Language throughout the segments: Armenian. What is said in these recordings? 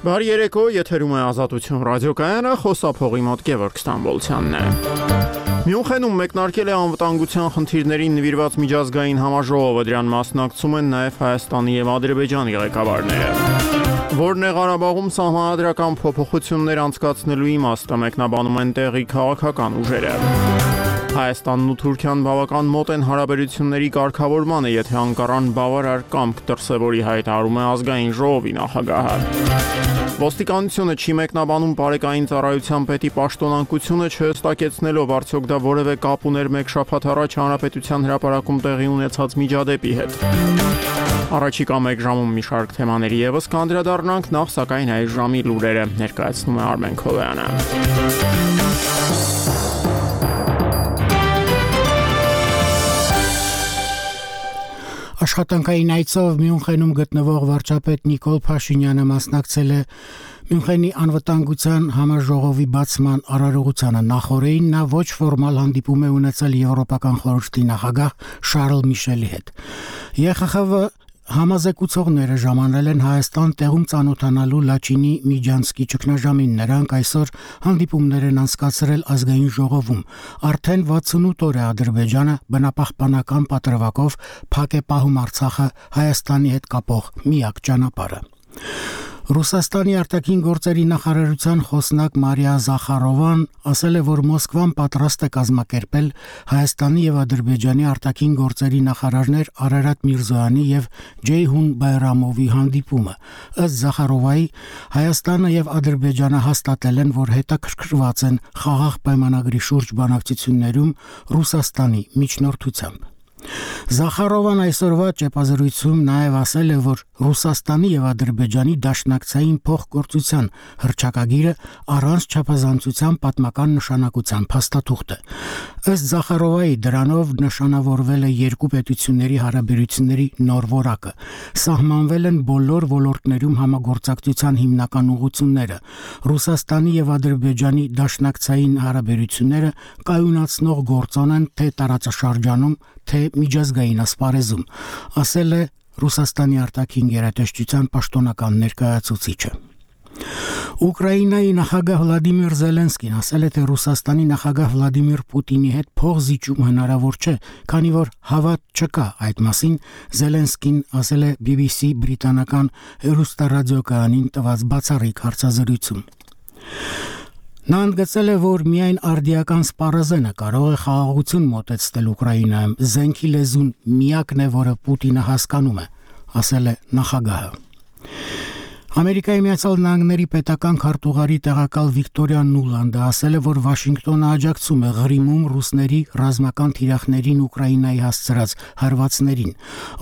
Բարի երեկո, եթերում է Ազատություն ռադիոկայանը, խոսափողի մոտ Գևորգ Ստամբոլցյանն է։ Մյունխենում մեկնարկել է անվտանգության խնդիրներին նվիրված միջազգային համաժողովը, դրան մասնակցում են նաև Հայաստանի և Ադրբեջանի ղեկավարները։ Որն է Ղարաբաղում սահմանադրական փոփոխություններ անցկացնելու իմաստը, մեկնաբանում են տեղի քաղաքական ուժերը։ Հայաստանն ու Թուրքիան բավական մոտ են հարաբերությունների կարգավորմանը, եթե անկարան բավարար կամք դրսևորի, հայտարարում է ազգային ժողովի նախագահը։ Ոստիկանությունը չի մեկնաբանում պարեկային ծառայության պետի պաշտոնակությունը, չհստակեցնելով արդյոք դա որևէ կապ ուներ մեկ շաբաթ առաջ Հանրապետության հրապարակում տեղի ունեցած միջադեպի հետ։ Առաջիկա մեկ ժամում մի շարք թեմաների ևս կանդրադառնանք, նախ սակայն այս ժամի լուրերը ներկայացնում է Արմեն Քոլոյանը։ Աշխատանքային այցով Մյունխենում գտնվող վարչապետ Նիկոլ Փաշինյանը մասնակցել է Մյունխենի անվտանգության համաժողովի բացման արարողությանը։ Նախօրեին նա ոչ ֆորմալ հանդիպում է ունեցել Եվրոպական խորհրդի նախագահ Շարլ Միշելի հետ։ ԵԽԽՎ համազեկուցողները ժամանել են Հայաստան տեղում ծանոթանալու Լաչինի Միջանցկի ճգնաժամին։ Նրանք այսօր հանդիպումներ են անցկացրել ազգային ժողովում։ Արդեն 68 օր է Ադրբեջանը բնապահպանական պատրվակով փակ է պահում Արցախը Հայաստանի հետ կապող միակ ճանապարհը։ Ռուսաստանի արտաքին գործերի նախարարության խոսնակ Մարիա Զախարովան ասել է, որ Մոսկվան պատրաստ է կազմակերպել Հայաստանի և Ադրբեջանի արտաքին գործերի նախարարներ Արարատ Միրզոյանի և Ջեյհուն Բայրամովի հանդիպումը։ Ըստ Զախարովայի, Հայաստանը և Ադրբեջանը հաստատել են, որ հետաքրքրված են խաղաղ պայմանագրի շուրջ բանակցություններում Ռուսաստանի միջնորդությամբ։ Զախարովան այսօրվա ճեպազրույցում նաև ասել է, որ Ռուսաստանի և Ադրբեջանի դաշնակցային փոխգործության հռչակագիրը առանց չափազանցության պատմական նշանակության փաստաթուղթ է։ Ըստ Զախարովայի, դրանով նշանավորվել է երկու պետությունների հարաբերությունների նոր որակը։ Սահմանվել են բոլոր ոլորտներում համագործակցության հիմնական ուղղությունները։ Ռուսաստանի և Ադրբեջանի դաշնակցային հարաբերությունները կայունացնող գործոն են թե տարածաշրջանում, թե միջազգային ասպարեզում, ասել է Ռուսաստանի արտաքին գերատեսչության պաշտոնական ներկայացուցիչը։ Ուկրաինայի նախագահ Վլադիմիր Զելենսկին ասել է, թե Ռուսաստանի նախագահ Վլադիմիր Պուտինի հետ փոխզիջում հնարավոր չէ, քանի որ հավատ չկա։ Այդ մասին Զելենսկին ասել է BBC բրիտանական հեռուստառադիոկայանին տված բացառիկ հարցազրույցում։ Նա ընդգծել է, որ միայն արդիական սպառազենը կարող է խաղաղություն մոտեցնել Ուկրաինայում։ Զենքի լեզուն միակն է, որը Պուտինը հասկանում է, ասել է նախագահը։ Ամերիկայի Միացյալ Նահանգների պետական քարտուղարի տեղակալ Վիկտորիա Նուլանդը ասել է, որ Վաշինգտոնը աջակցում է Ղրիմում ռուսների ռազմական թիրախներին Ուկրաինայի հասցրած հարվածներին։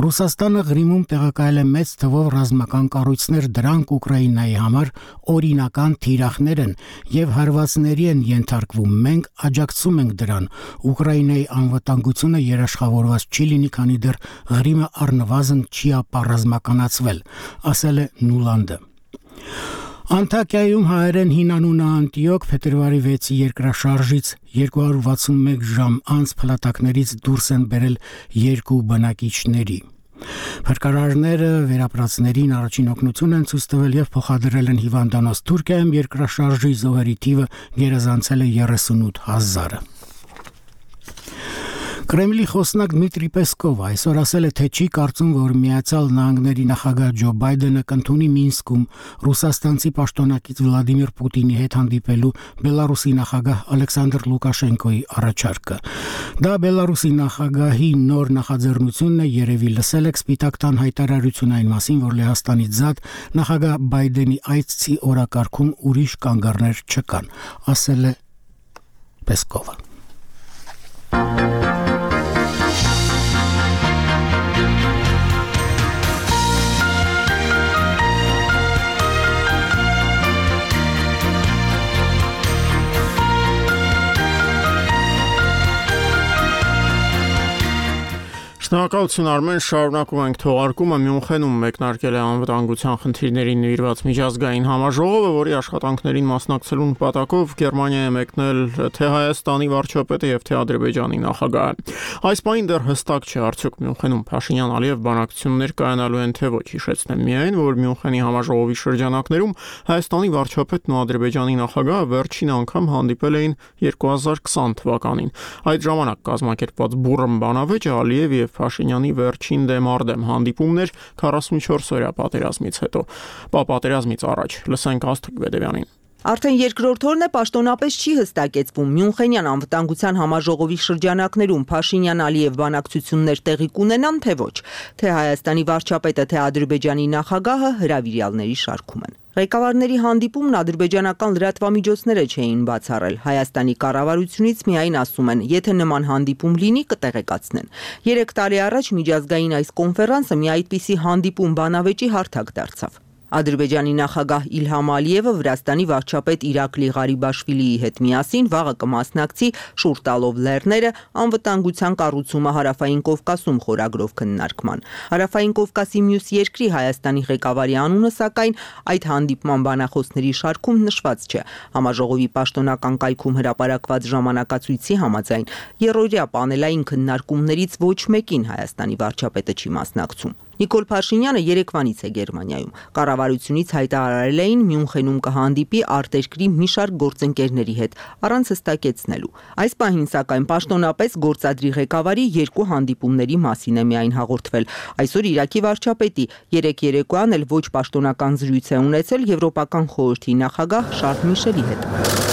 Ռուսաստանը Ղրիմում տեղակայել է մեծ թվով ռազմական կառույցներ, դրանք Ուկրաինայի համար օրինական թիրախներ են եւ հարվածների են ենթարկվում։ Մենք աջակցում ենք դրան։ Ուկրաինայի անվտանգությունը երաշխավորված չի լինի, քանի դեռ Ղրիմը առնվազն չի ապառազմականացվել, ասել է Նուլանդը։ Անտակիայում հայերեն հին անունը Անտիոք փետրվարի 6-ի երկրաշարժից 261 ժամ անց փլատակներից դուրս են բերել երկու բնակիչների։ Փրկարարները վերապրածներին առաջին օգնություն են ցույց տվել եւ փոխադրել են հիվանդանոց։ Թուրքիայում երկրաշարժի զոհերի թիվը գերազանցել է 38,000-ը։ Կրեմլի խոսնակ Դմիտրի Պեսկովը այսօր ասել է, թե չի կարծում, որ Միացյալ Նահանգների նախագահ Ջո Բայդենը կընդունի Մինսկում ռուսաստանցի պաշտոնակից Վլադիմիր Պուտինի հետ հանդիպելու Բելարուսի նախագահ Ալեքսանդր Լուկաշենկոյի առաջարկը։ Դա Բելարուսի նախագահի նոր նախաձեռնությունն է, երևի լսել եք Սպիտակ տան հայտարարություն այն մասին, որ Լեհաստանից զատ նախագահ Բայդենի այցի օրակարգում ուրիշ կանգառներ չկան, ասել է Պեսկովը։ Շնորհակալություն Արմեն, շարունակում ենք թողարկումը։ Մյունխենում մեկնարկել է անվտանգության խնդիրներին նվիրված միջազգային համաժողովը, որի աշխատանքներին մասնակցելու նպատակով Գերմանիա է մեկնել թե Հայաստանի վարչապետը եւ թե Ադրբեջանի նախագահը։ Այս պահին դեռ հստակ չէ, արդյոք Մյունխենում Փաշինյան-Ալիև բանակցություններ կայանալու են թե ոչ։ Հիշեցնեմ միայն, որ Մյունխենի համաժողովի շրջանակներում Հայաստանի վարչապետն ու Ադրբեջանի նախագահը վերջին անգամ հանդիպել էին 2020 թվականին։ Այդ ժամանակ կազմակերպված բուռն բանավեճը Ալիև եւ Փաշինյանի վերջին դեմարդեմ հանդիպումներ 44-օրյա պատերազմից հետո։ Պատերազմից առաջ լսենք Աստղիկ Բեդևյանին։ Արդեն երկրորդ օրն է պաշտոնապես չի հստակեցվում Մյունխենյան անվտանգության համաժողովի շրջանակներում Փաշինյան-Ալիև բանակցություններ տեղի կունենան թե ոչ, թե Հայաստանի վարչապետը, թե Ադրբեջանի նախագահը հրավիրյալների շարքում են։ Ղեկավարների հանդիպումն ադրբեջանական լրատվամիջոցները չէին բացառել։ Հայաստանի կառավարությունից միայն ասում են, եթե նման հանդիպում լինի, կտեղեկացնեն։ 3 տարի առաջ միջազգային այս կոնֆերանսը մի այդպիսի հանդիպում բանավեճի հարթակ դարձավ։ Ադրբեջանի նախագահ Իլհամ Ալիևը Վրաստանի վարչապետ Իրակլի Ղարիբաշվիլիի հետ միասին վաղը կմասնակցի շուռ տալով լեռները անվտանգության կառուցումը Հարավային Կովկասում խորագրով քննարկման։ Հարավային Կովկասի մյուս երկրի Հայաստանի ղեկավարի անունը սակայն այդ հանդիպման բանախոսների շարքում նշված չէ։ Համաժողովի պաշտոնական կայքում հրապարակված ժամանակացույցի համաձայն երրորդյա պանելային քննարկումներից ոչ մեկին Հայաստանի վարչապետը չի մասնակցում։ Նիկոլ Փաշինյանը երեկվանից է Գերմանիայում։ Կառավարությունից հայտարարել էին Մյունխենում կհանդիպի արտերկրի մի շարք գործընկերների հետ, առանց հստակեցնելու։ Այս պահին սակայն պաշտոնապես գործադրի ղեկավարի 2 հանդիպումների մասին է միայն հաղորդվել։ Այսօր Իրաքի վարչապետի 3 երեկոյան էլ ոչ պաշտոնական զրույց է ունեցել Եվրոպական խորհրդի նախագահ Շարլ Միշելի հետ։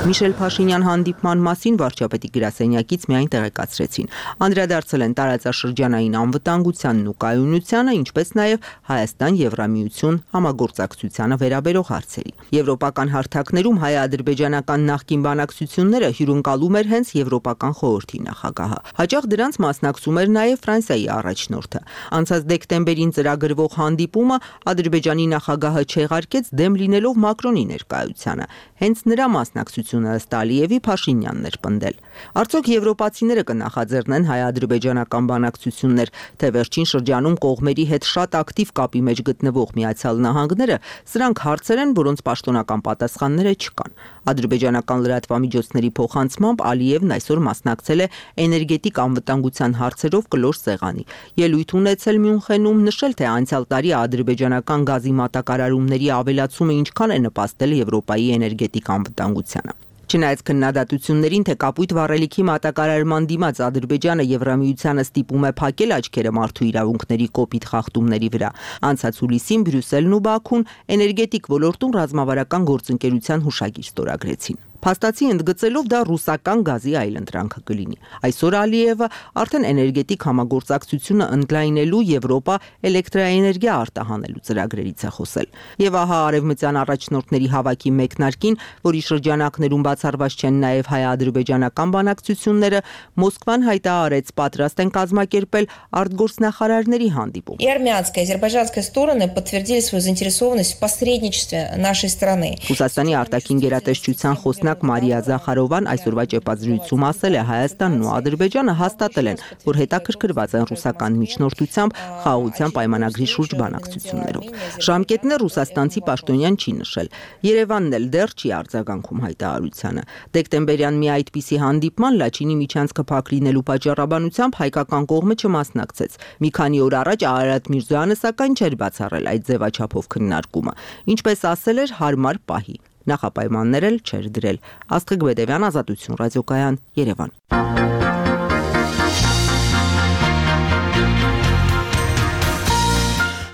Միշել Փաշինյան հանդիպման մասին վարչապետի գրասենյակից միայն տեղեկացրեցին։ Անդրադարձել են տարածաշրջանային անվտանգությանն ու կայունությանը, ինչպես նաև Հայաստան-Եվրամիություն համագործակցությանը վերաբերող հարցերի։ Եվրոպական հարթակներում հայ-ադրբեջանական նախկին բանակցությունները հյուրընկալում էր հենց Եվրոպական խորհրդի նախագահը։ Հաճախ դրանց մասնակցում էր նաև Ֆրանսիայի առաջնորդը։ Անցած դեկտեմբերին ծրագրվող հանդիպումը Ադրբեջանի նախագահը չեղարկեց դեմ լինելով Մակրոնի ներկայությանը։ Հենց նրա մասնակցությունը ըստ Ալիևի Փաշինյանն էր պնդել։ Արդյոք եվրոպացիները կնախաձեռնեն հայ-ադրբեջանական բանակցություններ, թե վերջին շրջանում կողմերի հետ շատ ակտիվ կապի մեջ գտնվող Միացյալ Նահանգները, սրանք հարցեր են, որոնց պաշտոնական պատասխանները չկան։ Ադրբեջանական լրատվամիջոցների փոխանցմամբ Ալիևն այսօր մասնակցել է էներգետիկ անվտանգության հարցերով կլոր սեղանի։ Ելույթ ունեցել Մյունխենում, նշել, թե անցյալ տարի ադրբեջանական գազի մատակարարումների ավելացումը ինչքան է նպաստել Եվրոպայի էներգետիկ անվտանգությանը։ Չնայած քննադատություններին, թե կապույտ վառելիքի մատակարարման դիմաց Ադրբեջանը Եվրամիությանը ստիպում է փակել աչքերը մարդու իրավունքների կոպիտ խախտումների վրա, անցած հուլիսին Բրյուսելն ու Բաքուն էներգետիկ ոլորտում ռազմավարական գործընկերության հուշագիր ստորագրեցին։ Փաստացի ընդգծելով դա ռուսական գազի այլընտրանքը կլինի։ Այսօր Ալիևը արդեն էներգետիկ համագործակցությունը ընդլայնելու Եվրոպա էլեկտրաէներգիա արտահանելու ծրագրերից է խոսել։ Եվ ահա արևմտյան առաջնորդների հավաքի մեկնարկին, որի շրջանակներում բացառված չեն նաև հայ-ադրբեջանական բանակցությունները, Մոսկվան հայտարարեց պատրաստ են կազմակերպել արտգործնախարարների հանդիպում։ И армянская, и азербайджанская стороны подтвердили свою заинтересованность в посредничестве нашей страны. Ռուսաստանի արտաքին գերատեսչության խոսնակ Մարիա Զախարովան այսօրվա ճեպազրույցում ասել է, Հայաստանն ու Ադրբեջանը հաստատել են, որ հետաքրքրված են ռուսական միջնորդությամբ խաղաղության պայմանագրի շուրջ բանակցություններով։ Ժամկետներ ռուսաստանցի պաշտոնյան չի նշել։ Երևանն էլ դեռ չի արձագանքում հայտարարությանը։ Դեկտեմբերյան մի այդպիսի հանդիպման Լաչինի միջանցքը փակ լինելու պատճառաբանությամբ հայկական կողմը չմասնակցեց։ Մի քանի օր առաջ Արարատ Միրզոյանը սակայն չէր բացառել այդ ձևաչափով քննարկումը։ Ինչպես ասել էր, հարմար պահի։ Նախապայմաններ էլ չէր դրել։ Աստղիկ Բեդևյան, Ազատություն ռադիոկայան, Երևան։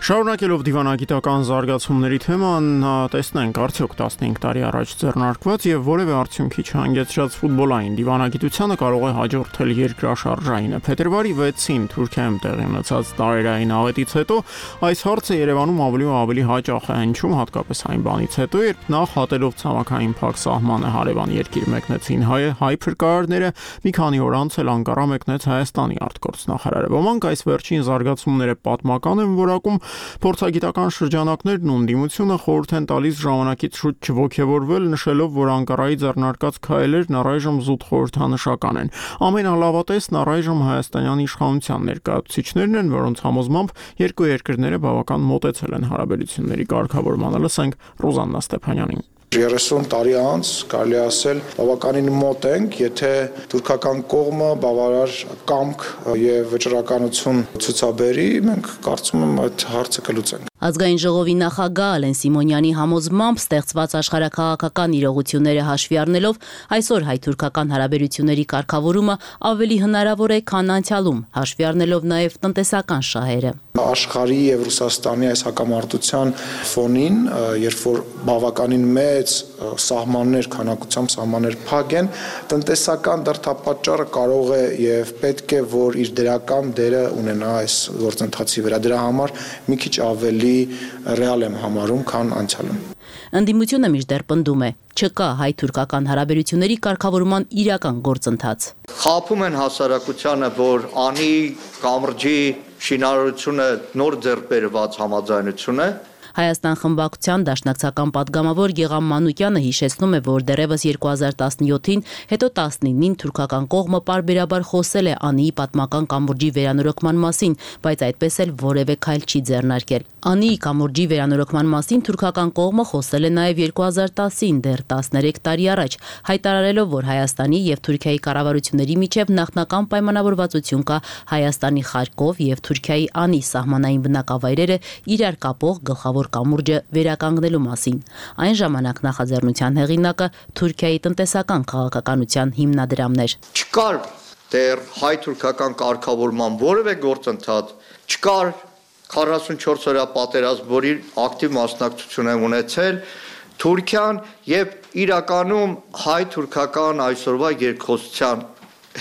Շարունակելով դիվանագիտական զարգացումների թեման, տեսնենք արդյոք 15 տարի առաջ ձեռնարկված եւ որևէ արդյունքի չհանգեցրած ֆուտբոլային դիվանագիտությանը կարող է հաջորդել երկրաշարժայինը։ Փետրվարի 6-ին Թուրքիայում տեղի ունեցած տարերային աղետից հետո այս հարցը Երևանում ավելի ու ավելի հաճախ է հնչում, հատկապես այն բանից հետո, երբ նախ հատելով ցամաքային փակ սահմանը հարևան երկիր մեկնեցին հայ փրկարարները, մի քանի օր անց էլ Անկարա մեկնեց Հայաստանի արտգործնախարարը։ Ոմանք այս վերջին զարգացումները պատմական են որակում, Փորձագիտական շրջանակներն ու ընդդիմությունը խորհուրդ են տալիս ժամանակից շուտ չոգևորվել, նշելով, որ Անկարայի ձեռնարկած քայլերն առայժմ զուտ խորհրդանշական են։ Ամենալավատեսն առայժմ հայաստանյան իշխանության ներկայացուցիչներն են, որոնց համոզմամբ երկու երկրները բավական մոտեցել են հարաբերությունների կարգավորմանը։ Լսենք Ռոզաննա Ստեփանյանին։ 30 տարի անց կարելի ասել բավականին մոտ ենք, եթե թուրքական կողմը բավարար կամք եւ վճռականություն ցուցաբերի, մենք կարծում եմ այդ հարցը կլուծենք։ Ազգային ժողովի նախագահ Ալեն Սիմոնյանի համոզմամբ ստեղծված աշխարհաքաղաքական իրողությունները հաշվի առնելով այսօր հայ-թուրքական հարաբերությունների կարգավորումը ավելի հնարավոր է, քան անցյալում, հաշվի առնելով նաև տնտեսական շահերը։ Աշխարհի եւ Ռուսաստանի այս հակամարտության ֆոնին, երբ որ բավականին մեծ սահմաններ, քանակությամբ սահմաններ փակ են, տնտեսական դրդապատճառը կարող է եւ պետք է, որ իր դրական դերը ունենա այս գործընթացի վրա։ Դրա համար մի քիչ ավելի ռեալ եմ համարում, քան անցյալում։ Ընդդիմությունը մինչդեռ պնդում է, չկա հայ-թուրքական հարաբերությունների կարգավորման իրական գործընթաց։ Խաբում են հասարակությանը, որ անի կամրջի շինարարությունը նոր ձեռք բերված համաձայնություն է։ Հայաստան խմբակցության դաշնակցական պատգամավոր Գեգամ Մանուկյանը հիշեցնում է, որ դեռևս 2017-ին, հետո 19-ին թուրքական կողմը պարբերաբար խոսել է Անիի պատմական կամուրջի վերանորոգման մասին, բայց այդպես էլ որևէ քայլ չի ձեռնարկել։ Անիի կամուրջի վերանորոգման մասին թուրքական կողմը խոսել է նաև 2010-ին, դեռ 13 տարի առաջ, հայտարարելով, որ Հայաստանի եւ Թուրքիայի կառավարությունների միջև նախնական պայմանավորվածություն կա Հայաստանի Խարկով եւ Թուրքիայի Անի սահմանային բնակավայրերը իրար կապող գլխավոր կամուրջը վերականգնելու մասին։ Այն ժամանակ նախաձեռնության հեղինակը Թուրքիայի տնտեսական քաղաքականության հիմնադրամն էր։ Չկար դեռ հայ-թուրքական կարգավորման որևէ գործընթաց, չկար 44 օրյա պատերազմ, որի ակտիվ մասնակցություն է ունեցել Թուրքիան եւ իրականում հայ-թուրքական այսօրվա երկխոսության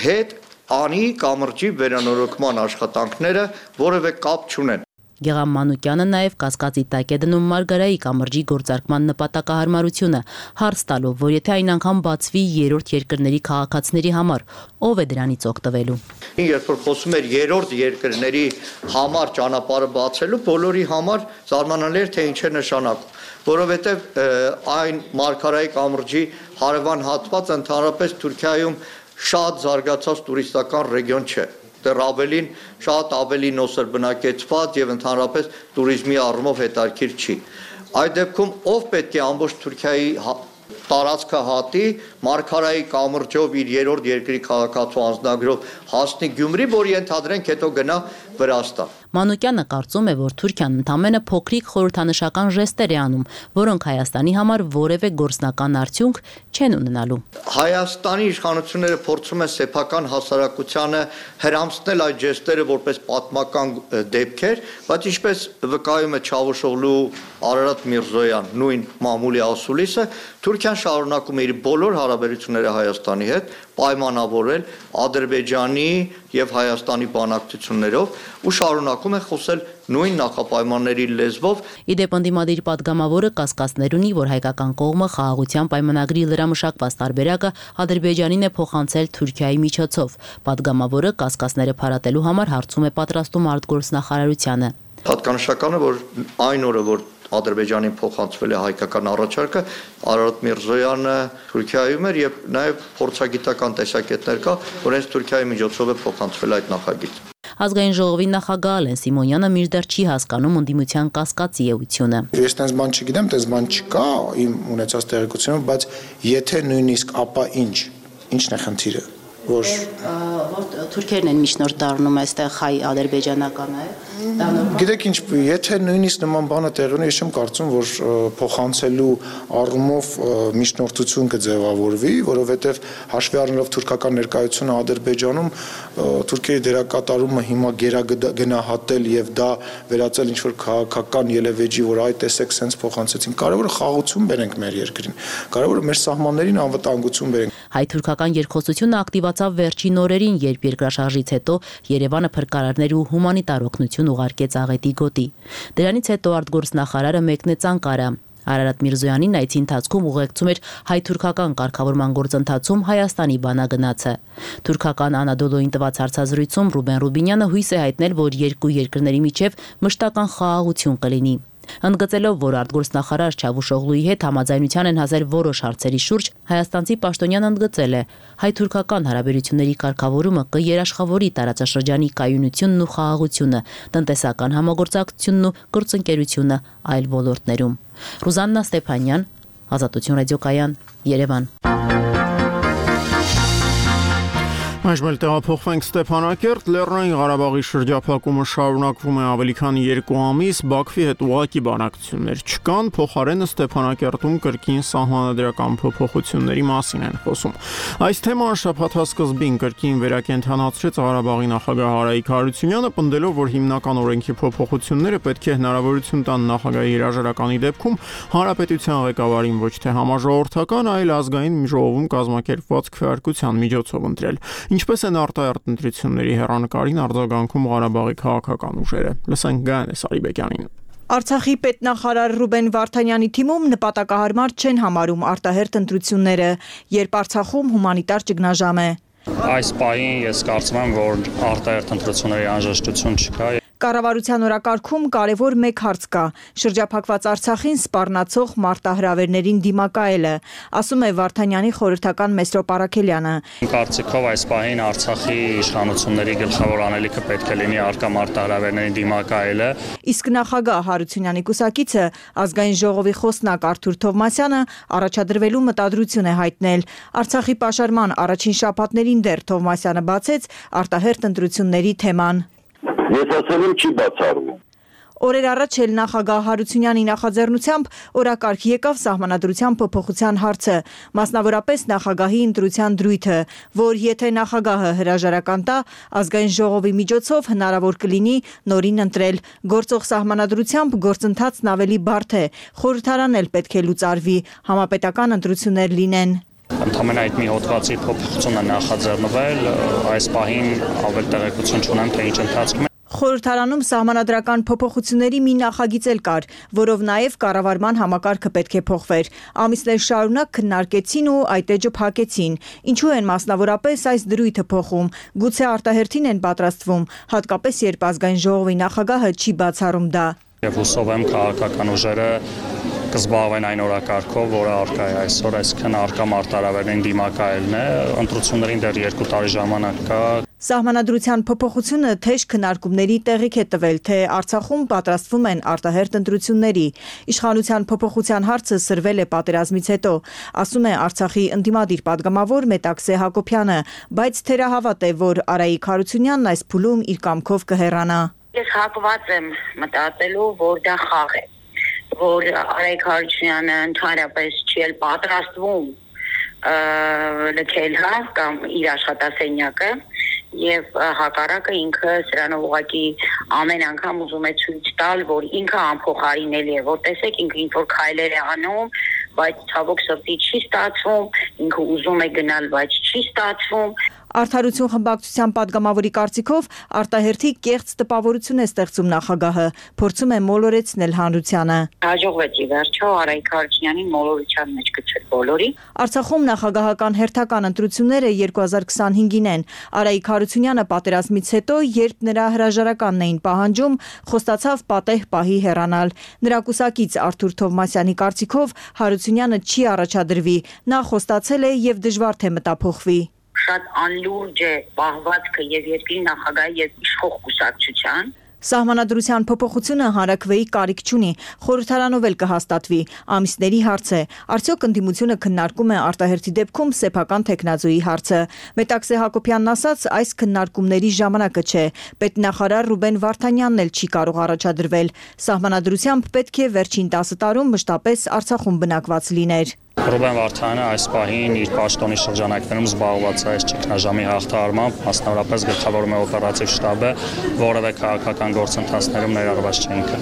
հետ Անի կամրջի վերանորոգման աշխատանքները որևէ կապ չունեն։ Գեգամ Մանուկյանը նաև կասկածի տակ է դնում Մարգարայի կամրջի գործարկման նպատակահարմարությունը, հարց տալով, որ եթե այն անգամ բացվի երրորդ երկրների քաղաքացիների համար, ով է դրանից օգտվելու։ Երբ որ խոսում էր երրորդ երկրների համար ճանապարհը բացելու, բոլորի համար զարմանալի էր, թե ինչ է նշանակում, որովհետև այն Մարգարայի կամրջի հարևան հատվածը ընդհանրապես Թուրքիայում շատ զարգացած տուրիստական ռեգիոն չէ։ Դեռ ավելին շատ ավելի նոսր բնակեցված եւ ընդհանրապես туриզմի առումով հետաքրքիր չի։ Այդ դեպքում ով պետք է ամբողջ Թուրքիայի տարածքը հատի Մարգարայի կամրջով իր երրորդ երկրի քաղաքացու անձնագրով հասնի Գյումրի, որ ենթադրենք հետո գնա Վրաստան։ Մանուկյանը կարծում է, որ Թուրքիան ընդամենը փոքրիկ խորհրդանշական ժեստեր է անում, որոնք Հայաստանի համար որևէ գործնական արդյունք չեն ունենալու։ Հայաստանի իշխանությունները փորձում են սեփական հասարակությանը հրամցնել այդ ժեստերը որպես պատմական դեպքեր, բայց ինչպես վկայում է Չավուշօղլու Արարատ Միրզոյան, նույն մամուլի ասուլիսը, Թուրքիան շարունակում է իր բոլոր հարաբերությունները Հայաստանի հետ պայմանավորել Ադրբեջանի եւ Հայաստանի բանակցություններով ու շարունակում է խոսել նույն նախապայմանների լեզվով։ Իդեպ ընդդիմադիր պատգամավորը կասկածներ ունի, որ հայկական կողմը խաղաղության պայմանագրի լրամշակված տարբերակը Ադրբեջանին է փոխանցել Թուրքիայի միջոցով։ Պատգամավորը կասկածները փարատելու համար հարցում է պատրաստում արտգործնախարարությանը։ Հատկանշական է, որ այն օրը, որ Ադրբեջանին փոխանցվել է հայկական առաջարկը, Արարատ Միրզոյանը Թուրքիայում էր եւ նաեւ փորձագիտական տեսակետներ կա, որ հենց Թուրքիայի միջոցով է փոխանցվել այդ նախագիծ։ Ազգային ժողովի նախագահ Ալեն Սիմոնյանը մինչդեռ չի հասկանում ընդդիմության կասկածի էությունը։ Ես տես բան չգիտեմ, տես բան չկա իմ ունեցած տեղեկությունով, բայց եթե նույնիսկ ապա ինչն է խնդիրը, որ թուրքերն են միջնորդ դառնում այստեղ հայ-ադրբեջանական է։ Գիտեք ինչ, եթե նույնիսկ նման բանը տեղի ունի, ես չեմ կարծում, որ փոխանցելու առումով միջնորդություն կձևավորվի, որովհետև հաշվի առնելով թուրքական ներկայությունը Ադրբեջանում, Թուրքիայի դերակատարումը հիմա գերագնահատել եւ դա վերածել ինչ-որ քաղաքական ելևէջի, որ այ տեսեք սենց փոխանցեցին։ Կարևորը խաղաղություն բերենք մեր երկրին։ Կարևորը մեր սահմաններին անվտանգություն բերենք։ Հայ-թուրքական երկխոսությունը ակտիվացավ վերջին օրերին, երբ երկրաշարժից հետո Երևանը փրկարարներ ու հումանիտար օգնություն ուղարկեց աղետի գոտի։ Դրանից հետո արտգործնախարարը մեկնեց Անկարա։ Արարատ Միրզոյանին այցի ընթացքում ուղեկցում էր հայ-թուրքական կարգավորման գործընթացում Հայաստանի բանագնացը։ Թուրքական Անադոլոյին տված հարցազրույցում Ռուբեն Ռուբինյանը հույս է հայտնել, որ երկու երկրների միջև մշտական խաղաղություն կլինի։ Ընդգծելով, որ արտգործնախարար Չավուշօղլուի հետ համաձայնության են հասել որոշ հարցերի շուրջ, հայաստանցի պաշտոնյան ընդգծել է, հայ-թուրքական հարաբերությունների կարգավորումը կերաշխավորի տարածաշրջանի կայունությունն ու խաղաղությունը, տնտեսական համագործակցությունն ու գործընկերությունը այլ ոլորտներում։ Ռուզաննա Ստեփանյան, Ազատություն ռադիոկայան, Երևան։ Այժմ տեղափոխվենք Ստեփանակերտ, Լեռնային Ղարաբաղի շրջափակումը շարունակվում է ավելի քան 2 ամիս, Բաքվի հետ ուղղակի բանակցություններ չկան, փոխարենը Ստեփանակերտում կրկին սահմանադրական փոփոխությունների մասին են խոսում։ Այս թեման շաբաթվա սկզբին կրկին վերակենդանացրեց Ղարաբաղի նախագահ Արայիկ Հարությունյանը, պնդելով, որ հիմնական օրենքի փոփոխությունները պետք է հնարավորություն տան նախագահի հրաժարականի դեպքում հանրապետության ղեկավարին ոչ թե համաժողովրդական, այլ ազգային ժողովում կազմակերպված քվեարկության միջոցով ընտրել։ Ինչպես են արտահերթ ընտրությունների հեռանկարին արձագանքում Ղարաբաղի քաղաքական ուժերը։ Լսենք Գայանե Սարիբեկյանին։ Արցախի պետնախարար Ռուբեն Վարդանյանի թիմում նպատակահարմար չեն համարում արտահերթ ընտրությունները, երբ Արցախում հումանիտար ճգնաժամ է։ Այս պահին ես կարծում եմ, որ արտահերթ ընտրությունների անհրաժեշտություն չկա։ Կառավարության օրակարգում կարևոր մեկ հարց կա՝ շրջափակված Արցախին սպառնացող մարտահրավերներին դիմակայելը, ասում է Վարդանյանի խորհրդական Մեսրոպ Արաքելյանը։ Կարծիքով այս պահին Արցախի իշխանությունների գլխավոր անելիքը պետք է լինի առկա մարտահրավերներին դիմակայելը։ Իսկ նախագահ Հարությունյանի կուսակիցը ազգային ժողովի խոսնակ Արթուր Թովմասյանը առաջադրվելու մտադրություն է հայտնել։ Արցախի պաշարման առաջին շաբաթներին դեռ Թովմասյանը բացեց արտահերթ ընտրությունների թեման։ Ես ասել եմ չի բացառվում։ Օրեր առաջ էլ նախագահ Հարությունյանի նախաձեռնությամբ օրակարգ եկավ սահմանադրության փոփոխության հարցը, մասնավորապես նախագահի ընտրության դրույթը, որ եթե նախագահը հրաժարական տա, ազգային ժողովի միջոցով հնարավոր կլինի նորին ընտրել։ Գործող սահմանադրությամբ գործընթացն ավելի բարդ է, խորհրդարան էլ պետք է լուծարվի, համապետական ընտրություններ լինեն։ Ընդհանրապես այդ մի հոդվածի փոփոխությունը նախաձեռնվել, այս պահին ավել տեղեկություն չունեմ, թե ինչ ընթացքում է։ Խորհրդարանում սահմանադրական փոփոխությունների մի նախագիծ էլ կար, որով նաև կառավարման համակարգը պետք է փոխվեր։ Ամիսներ շարունակ քննարկեցին ու այդ էջը փակեցին։ Ինչու են մասնավորապես այս դրույթը փոխում։ Գուցե արտահերթին են պատրաստվում, հատկապես երբ ազգային ժողովի նախագահը չի բացառում դա։ Եվ հուսով եմ քաղաքական ուժերը կզբաղվեն այն օրակարգով, որը առկա է այսօր, այսինքն առկա մարտահրավերներին դիմակայելն է, ընտրություններին դեռ 2 տարի ժամանակ կա։ Սահմանադրության փոփոխությունը թեժ քննարկումների տեղիք է տվել, թե Արցախում պատրաստվում են արտահերթ ընտրությունների։ Իշխանության փոփոխության հարցը սրվել է պատերազմից հետո, ասում է Արցախի ընդդիմադիր պատգամավոր Մետաքսե Հակոբյանը, բայց թերահավատ է, որ Արայիկ Հարությունյանն այս փուլում իր կամքով կհեռանա։ Ես հակված եմ մտածելու, որ դա խաղ է, որ Արայիկ Հարությունյանը ընդհանրապես չի էլ պատրաստվում լքել կամ իր աշխատասենյակը եւ հակառակը ինքը սրանով ուղղակի ամեն անգամ ուզում է ցույց տալ, որ ինքը անփոխարինելի է, որ տեսեք ինքը ինչ որ քայլեր է անում, բայց ցավոք սրտի չի ստացվում, ինքը ուզում է գնալ, բայց չի ստացվում։ Արդարություն խմբակցության պատգամավորի կարծիքով արտահերթի կեղծ տպավորություն է ստեղծում նախագահը, փորձում է մոլորեցնել հանրությանը։ Հաջողվեց ի վերջո Արայիկ Հարությունյանին մոլորության մեջ գցել բոլորի։ Արցախում նախագահական հերթական ընտրությունները 2025-ին են։ Արայիկ Հարությունյանը պատերազմից հետո, երբ նրա հրաժարականն էին պահանջում, խոստացավ պատեհ պահի հեռանալ։ Նրա կուսակից Արթուր Թովմասյանի կարծիքով Հարությունյանը չի առաջադրվի, նա խոստացել է եւ դժվար թե մտափոխվի։ Շատ անլուրջ է պահվածքը եւ երկրի նախագահի եւ իշխող կուսակցության։ Սահմանադրության փոփոխությունը հանրաքվեի կարիք չունի, խորհրդարանով էլ կհաստատվի։ Ամիսների հարց է։ Արդյոք ընդդիմությունը քննարկում է արտահերթի դեպքում սեփական թեկնածուի հարցը։ Մետաքսե Հակոբյանն ասաց, այս քննարկումների ժամանակը չէ։ Պետնախարար Ռուբեն Վարդանյանն էլ չի կարող առաջադրվել։ Սահմանադրությամբ պետք է վերջին 10 տարում մշտապես Արցախում բնակված լիներ։ Ռուբեն Վարդանյանը այս պահին իր պաշտոնի շրջանակներում զբաղված է այս ճգնաժամի հաղթահարմամբ, մասնավորապես գլխավորում է օպերատիվ շտաբը, որևէ քաղաքական գործընթացներում ներառված չէ ինքը։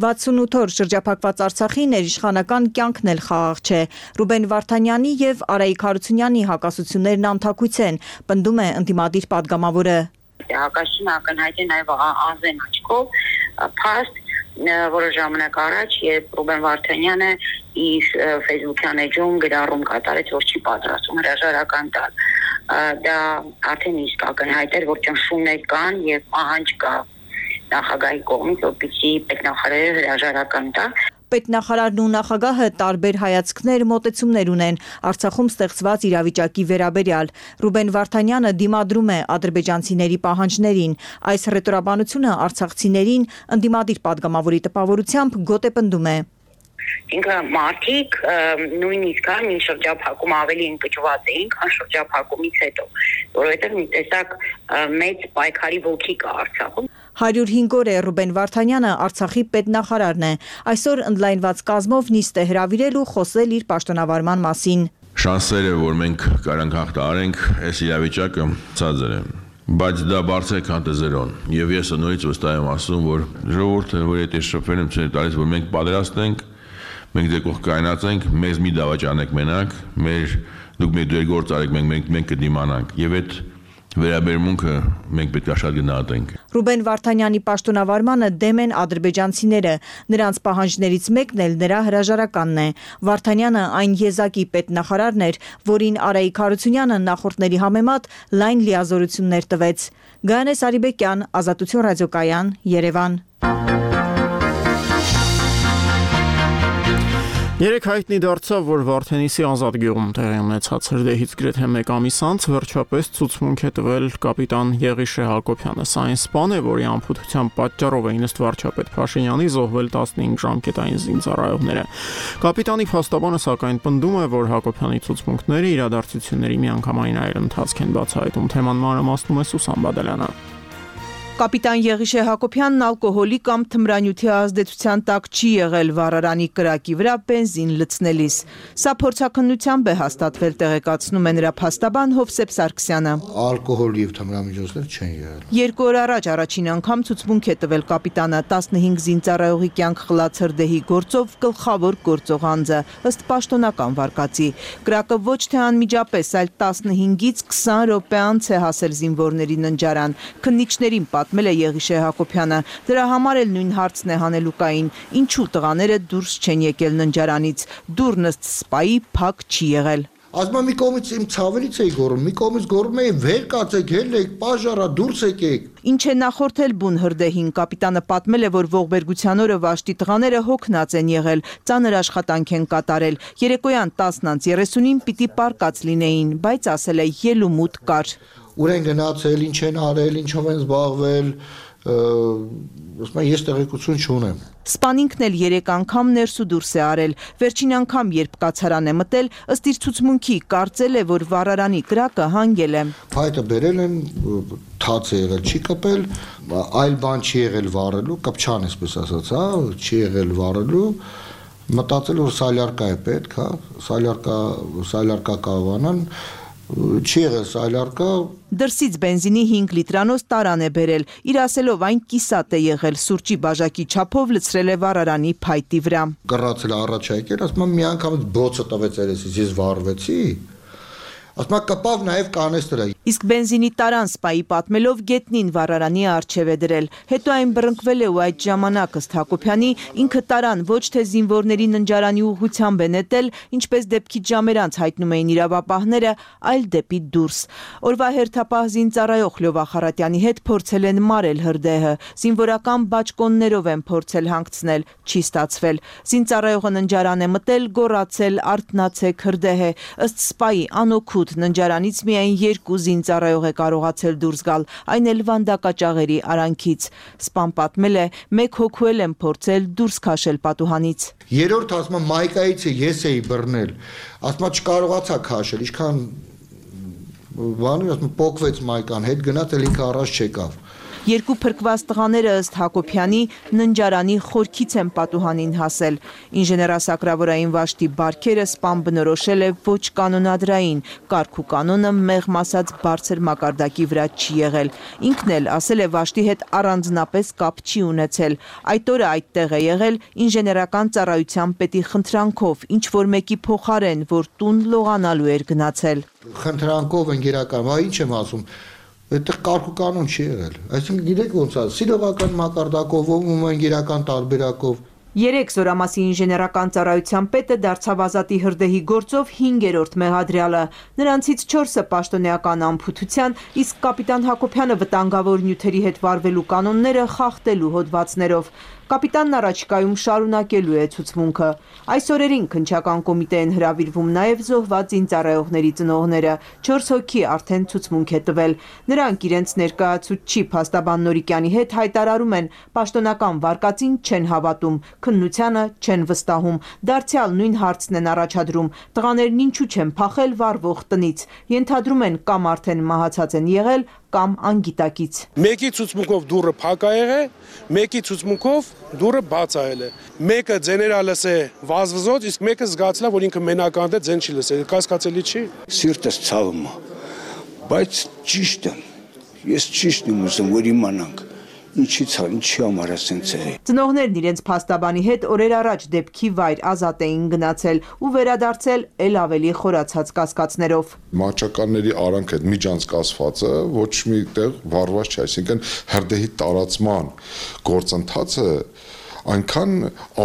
68 օր շրջափակված Արցախի ներիշխանական կյանքն էլ խաղաղ չէ։ Ռուբեն Վարդանյանի եւ Արայիկ Հարությունյանի հակասություններն անթակույց են, պնդում է ընդդիմադիր պատգամավորը։ Հակասությունը ակնհայտ է նաեւ ազեն աչքով, փաստ որոշ ժամանակ առաջ, երբ Ռուբեն Վարդանյանը իր Facebook-յան էջում գրառում կատարեց, որ չի պատրաստում հրաժարական տալ։ Դա արդեն իսկ ակնհայտ էր, որ ճնշումներ կան եւ պահանջ կա նախագահի կողմից, որպեսզի պետնախարարը հրաժարական տա։ Պետնախարարն ու նախագահը տարբեր հայացքներ, մոտեցումներ ունեն Արցախում ստեղծված իրավիճակի վերաբերյալ։ Ռուբեն Վարդանյանը դիմադրում է ադրբեջանցիների պահանջներին։ Այս հռետորաբանությունը արցախցիներին ընդդիմադիր падգամավորի տպավորությամբ գոտեպնդում է։ Ինքը մարդիկ նույնիսկ մի շրջափակում ավելի ընկճված էին, քան շրջափակումից հետո, որովհետև մի տեսակ մեծ պայքարի ոգի կա Արցախում։ 105 օր է Ռուբեն Վարդանյանը Արցախի պետնախարարն է։ Այսօր ընդլայնված կազմով նիստ է հրավիրել ու խոսել իր պաշտոնավարման մասին։ Շանսերը, որ մենք կարանք հաղթահարենք, այս իրավիճակը ցածր է։ Բայց դա բարձր է քան զերոն։ Եվ ես նորից վստահ եմ ասում, որ ժողովուրդը, որ եթե շփվել եմ ցույց տալիս, որ մենք պատրաստ ենք, մենք դեպքում կայնացենք, մեզ մի դավաճանեք մենակ, դուք մեր դեր գործ արեք, մենք կդիմանանք։ Եվ այդ վերաբերմունքը մենք պետք է շատ գնահատենք։ Ռուբեն Վարդանյանի պաշտոնավարմանը դեմ են ադրբեջանցիները, նրանց պահանջներից մեկն էլ նրա հրաժարականն է։ Վարդանյանը այն եզակի պետնախարարն էր, որին Արայիկ Հարությունյանը նախորդների համեմատ լայն լիազորություններ տվեց։ Գայանե Սարիբեկյան, Ազատություն ռադիոկայան, Երևան։ Երեք հայտնի դարձավ, որ Վարդենիսի Ազատ գյուղում տեղի ունեցած հրդեհից գրեթե 1 ամիս անց վերջապես ցուցմունք է տվել կապիտան Եղիշե Հակոբյանը։ Սա այն սպան է, որի անփութության պատճառով էին ըստ վարչապետ Փաշինյանի զոհվել 15 ժամկետային զինծառայողները։ Կապիտանի փաստաբանը սակայն պնդում է, որ Հակոբյանի ցուցմունքները իրադարձությունների միանգամայն այլ ընթացք են բացահայտում։ Թեման մանրամասնում է Սուսան Բադալյանը։ Կապիտան Եղիշե Հակոբյանն ալկոհոլի կամ թմրանյութի ազդեցության տակ չի եղել վառարանի կրակի վրա բենզին լցնելիս։ Սա փորձաքննությամբ է հաստատվել, տեղեկացնում է նրա փաստաբան Հովսեփ Սարգսյանը։ Ալկոհոլ եւ թմրամիջոցներ չեն եղել։ 2 օր առաջ առաջին անգամ ցուցմունք է տվել կապիտանը 15 զինծառայողի կյանք խլած հրդեհի գործով գլխավոր գործող անձը, ըստ պաշտոնական վարկածի։ Կրակը ոչ թե անմիջապես, այլ 15-ից 20 րոպե անց է հասել զինվորների ննջարան։ Քննիչներին պատմել է Եղիշե Հակոբյանը։ Դրա համար էլ նույն հարցն է հանելուկային. ինչու տղաները դուրս չեն եկել ննջարանից։ Դուռն ըստ սպայի փակ չի եղել։ Ասում մի կողմից իմ ցավերից էի գոռում, մի կողմից գոռում էի վեր կացեք, ելեք, պաժարա, դուրս եկեք։ Ինչ է նախորդել բուն հրդեհին, կապիտանը պատմել է, որ ողբերգության օրը Վաշտի տղաները հոգնած են եղել, ծանր աշխատանք են կատարել։ Երեկոյան 10:30-ին պիտի պարկած լինեին, բայց ասել է ելումուտ կար։ Ուր են գնացել, ինչ են արել, ինչով են զբաղվել, ես տեղեկություն չունեմ։ Սպան ինքն էլ 3 անգամ ներս ու դուրս է արել։ Վերջին անգամ, երբ կացարան է մտել, ըստ իր ցուցմունքի կարծել է, որ վառարանի կրակը հանգել է։ Փայտը բերել են, թաց է եղել, չի կպել, այլ բան չի եղել վառելու, կպչան այսպես ասած, հա, չի եղել վառելու։ Մտածել որ սալյարկա է պետք, հա, սալյարկա կավանան, չի եղել սալյարկա։ Դրսից բենզինի 5 լիտրանոց տարան է բերել, իր ասելով այն կիսատ է եղել, սուրճի բաժակի չափով լցրել է վառարանի փայտի վրա։ Կռացել առաջ եկել, ասում մի անգամ բոցը տվեց երեսից, ես վառվեցի։ Ասում կպավ նաև կանեստրը։ Իսկ բենզինի տարան սպայի պատմելով գետնին վառարանի առջև է դրել։ Հետո այն բռնկվել է ու այդ ժամանակ ըստ Հակոբյանի ինքը տարան ոչ թե զինվորների ննջարանի ուղղությամբ է նետել, ինչպես դեպքից ժամեր անց հայտնում էին իրավապահները, այլ դեպի դուրս։ Օրվա հերթապահ զինծառայող Լյովա Խարատյանի հետ փորձել են մարել հրդեհը։ Զինվորական բաճկոններով են փորձել հանգցնել, չի ստացվել։ Զինծառայողը ննջարան է մտել, գոռացել, արթնացեք հրդեհ է։ Ըստ սպայի անօգուտ ննջարանից միայն 2 զինծառայող է կարողացել դուրս գալ, այն էլ վանդակաճաղերի արանքից։ Սպան պատմել է, 1 հոգու են փորձել դուրս քաշել պատուհանից։ Երրորդ ասում մայկայից ես էի բռնել, ասում չկարողացա քաշել, ինչքան բանը ասում պոկվեց մայկան, հետ գնաց էլ ինքը առաջ չեկավ։ 2 փրկված տղաները ըստ Հակոբյանի ննջարանի խորքից են պատուհանին հասել։ Ինժեներասակրավորային վաշտի բարքերը սպան բնորոշել է ոչ կանոնադրային, կարգ ու կանոնը մեղմ ասած բարձր մակարդակի վրա չի եղել։ Ինքն էլ ասել է վաշտի հետ առանձնապես կապ չի ունեցել։ Այդ օրը այդտեղ է եղել ինժեներական ծառայության պետի խնդրանքով, ինչ որ մեկի փոխարեն, որ տուն լողանալու էր գնացել։ Խնդրանքով են գերական, ինչ եմ ասում։ Այդտեղ կարգ ու կանոն չի եղել։ Այսինքն գիտեք ոնց է, սիրողական մակարդակով ում են գերական տարբերակով։ 3 Զորամասի ինժեներական ծառայության պետը դարձավ Ազատի հրդեհի գործով 5-րդ մեղադրյալը։ Նրանցից 4-ը պաշտոնեական անփութության, իսկ կապիտան Հակոբյանը վտանգավոր նյութերի հետ վարվելու կանոնները խախտելու հոդվածներով։ Կապիտանն առաջիկայում շարունակելու է ցուցմունքը։ Այս օրերին քննչական կոմիտե են հրավիրվում նաև զոհված զինծառայողների ծնողները։ 4 հոգի արդեն ցուցմունք է տվել։ Նրանք իրենց ներկայացուցիչ փաստաբան Նորիկյանի հետ հայտարարում են, պաշտոնական վարկածին չեն հավատում, քննությանը չեն վստահում։ Դարձյալ նույն հարցն են առաջադրում. տղաներն ինչու չեն փախել վառվող տնից։ Ենթադրում են կամ արդեն մահացած են եղել, կամ անգիտակից։ Մեկի ցուցմունքով դուռը փակ է եղել, մեկի ցուցմունքով դուռը բաց է եղել։ Մեկը ձեներա լսե վազվզոց, իսկ մեկը զգացել է, որ ինքը մենական է, ձեն չի լսել։ Կասկածելի չի։ Սիրտս ցավում է, բայց ճիշտ եմ։ Ես ճիշտն եմ ուզում, որ իմանանք։ Ինչի համար է սենց է։ Ծնողներն իրենց փաստաբանի հետ օրեր առաջ դեպքի վայր Ազատ էին գնացել ու վերադարձել ել ավելի խորացած կասկածներով։ Մահճականների արանք այդ միջանցկացվածը ոչ մի տեղ վառված չէ, այսինքն հրդեհի տարածման գործընթացը այնքան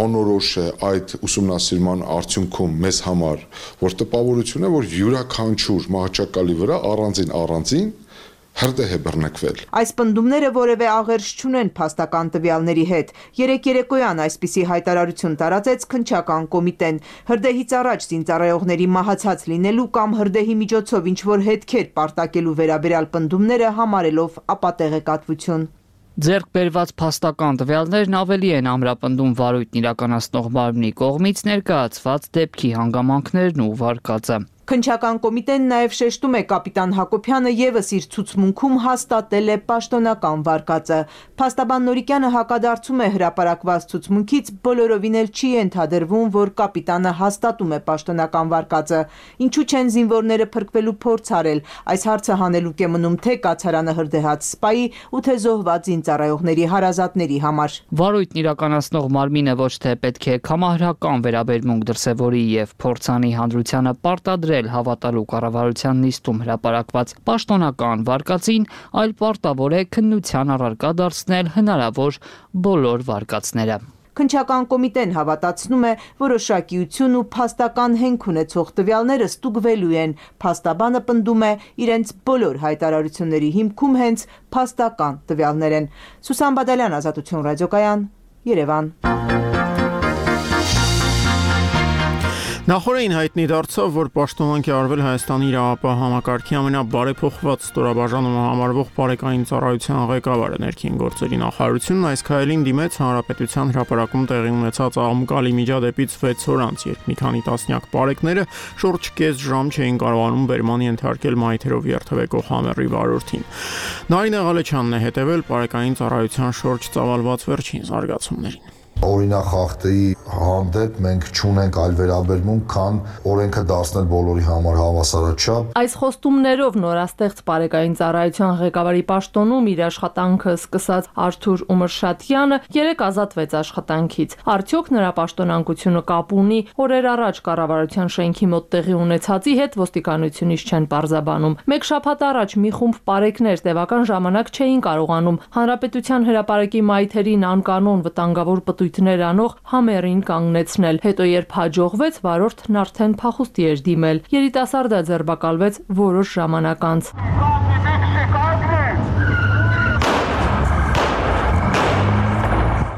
անորոշ է այդ ուսումնասիրման արդյունքում մեզ համար, որ տպավորություն է, որ յուրաքանչյուր մահճակալի վրա առանձին հրդեհ է բռնկվել։ Այս պնդումները որևէ աղերս չունեն փաստական տվյալների հետ։ Երեկոյան այսպիսի հայտարարություն տարածեց քննչական կոմիտեն։ Հրդեհից առաջ զինծառայողների մահացած լինելու կամ հրդեհի միջոցով ինչ-որ հետքեր պարտակելու վերաբերյալ պնդումները համարելով ապատեղեկատվություն։ Ձեռք բերված փաստական տվյալներն ավելի են ամրապնդում վարույթն իրականացնող մարմնի կողմից ներկայացված դեպքի հանգամանքներն ու վարկածը։ Քննչական կոմիտեն նաև շեշտում է կապիտան Հակոբյանը ևս իր ցուցմունքում հաստատել է պաշտոնական վարկածը։ Փաստաբան Նորիկյանը հակադարձում է հրապարակված ցուցմունքից, բոլորովին էլ չի ենթադրվում, որ կապիտանը հաստատում է պաշտոնական վարկածը։ Ինչու չեն զինվորները փրկվելու փորձ արել։ Այս հարցը հանելուկ է մնում թե կացարանը հրդեհած սպայի ու թե զոհված զինծառայողների հարազատների համար։ Վարույթն իրականացնող մարմինը ոչ թե պետք է կամահրական վերաբերմունք դրսևորի եւ փորձանի հանրությանը պարտադրել հավատալու կառավարության նիստում հրապարակված պաշտոնական վարկածին, այլ պարտավոր է քննության առարկա դարձնել հնարավոր բոլոր վարկածները։ Քննչական կոմիտեն հավատացնում է, որոշակիություն ու փաստական հենք ունեցող տվյալները ստուգվելու են։ Փաստաբանը պնդում է, իրենց բոլոր հայտարարությունների հիմքում հենց փաստական տվյալներ են։ Սուսան Բադալյան, Ազատություն ռադիոկայան, Երևան։ Նախորդին հայտնի դարձավ, որ պաշտոնանկ է արվել Հայաստանի իրավապահ համակարգի ամենաբարեփոխված ստորաբաժանումը համարվող բարեկային ծառայության ղեկավարը։ Ներքին գործերի նախարարությունն այս քայլին դիմեց Հանրապետության հրապարակում տեղի ունեցած աղմկալի միջադեպից 6 օր անց, երբ մի քանի տասնյակ բարեկները շուրջ կես ժամ չէին կարողանում բերման ենթարկել մայթերով երթևեկող համերի վարորդին։ Նարինե Ղալեչյանն է հետևել բարեկային ծառայության շուրջ ծավալված վերջին զարգացումներին։ Օրինախախտի հանդեպ մենք չունենք այլ վերաբերմունք, քան օրենքը դարձնել բոլորի համար հավասարաչափ։ Այս խոստումներով նորաստեղծ բարեկային ծառայության ղեկավարի պաշտոնում իր աշխատանքը սկսած Արթուր Ումրշատյանը 3 ազատվեց աշխատանքից։ Արդյոք նրա պաշտոնանկությունը կապ ունի օրեր առաջ կառավարության շենքի մոտ տեղի ունեցածի հետ ոստիկանությունից չեն պարզաբանում։ Մեկ շաբաթ առաջ մի խումբ բարեկներ տևական ժամանակ չէին կարողանում Հանրապետության հրապարակի մայթերին անկանոն վտանգավոր պտույտներ անող համերին կանգնեցնել։ Հետո երբ հաջողվեց, վարորդն արդեն փախուստի էր դիմել։ Երիտասարդը ձերբակալվեց որոշ ժամանակ անց։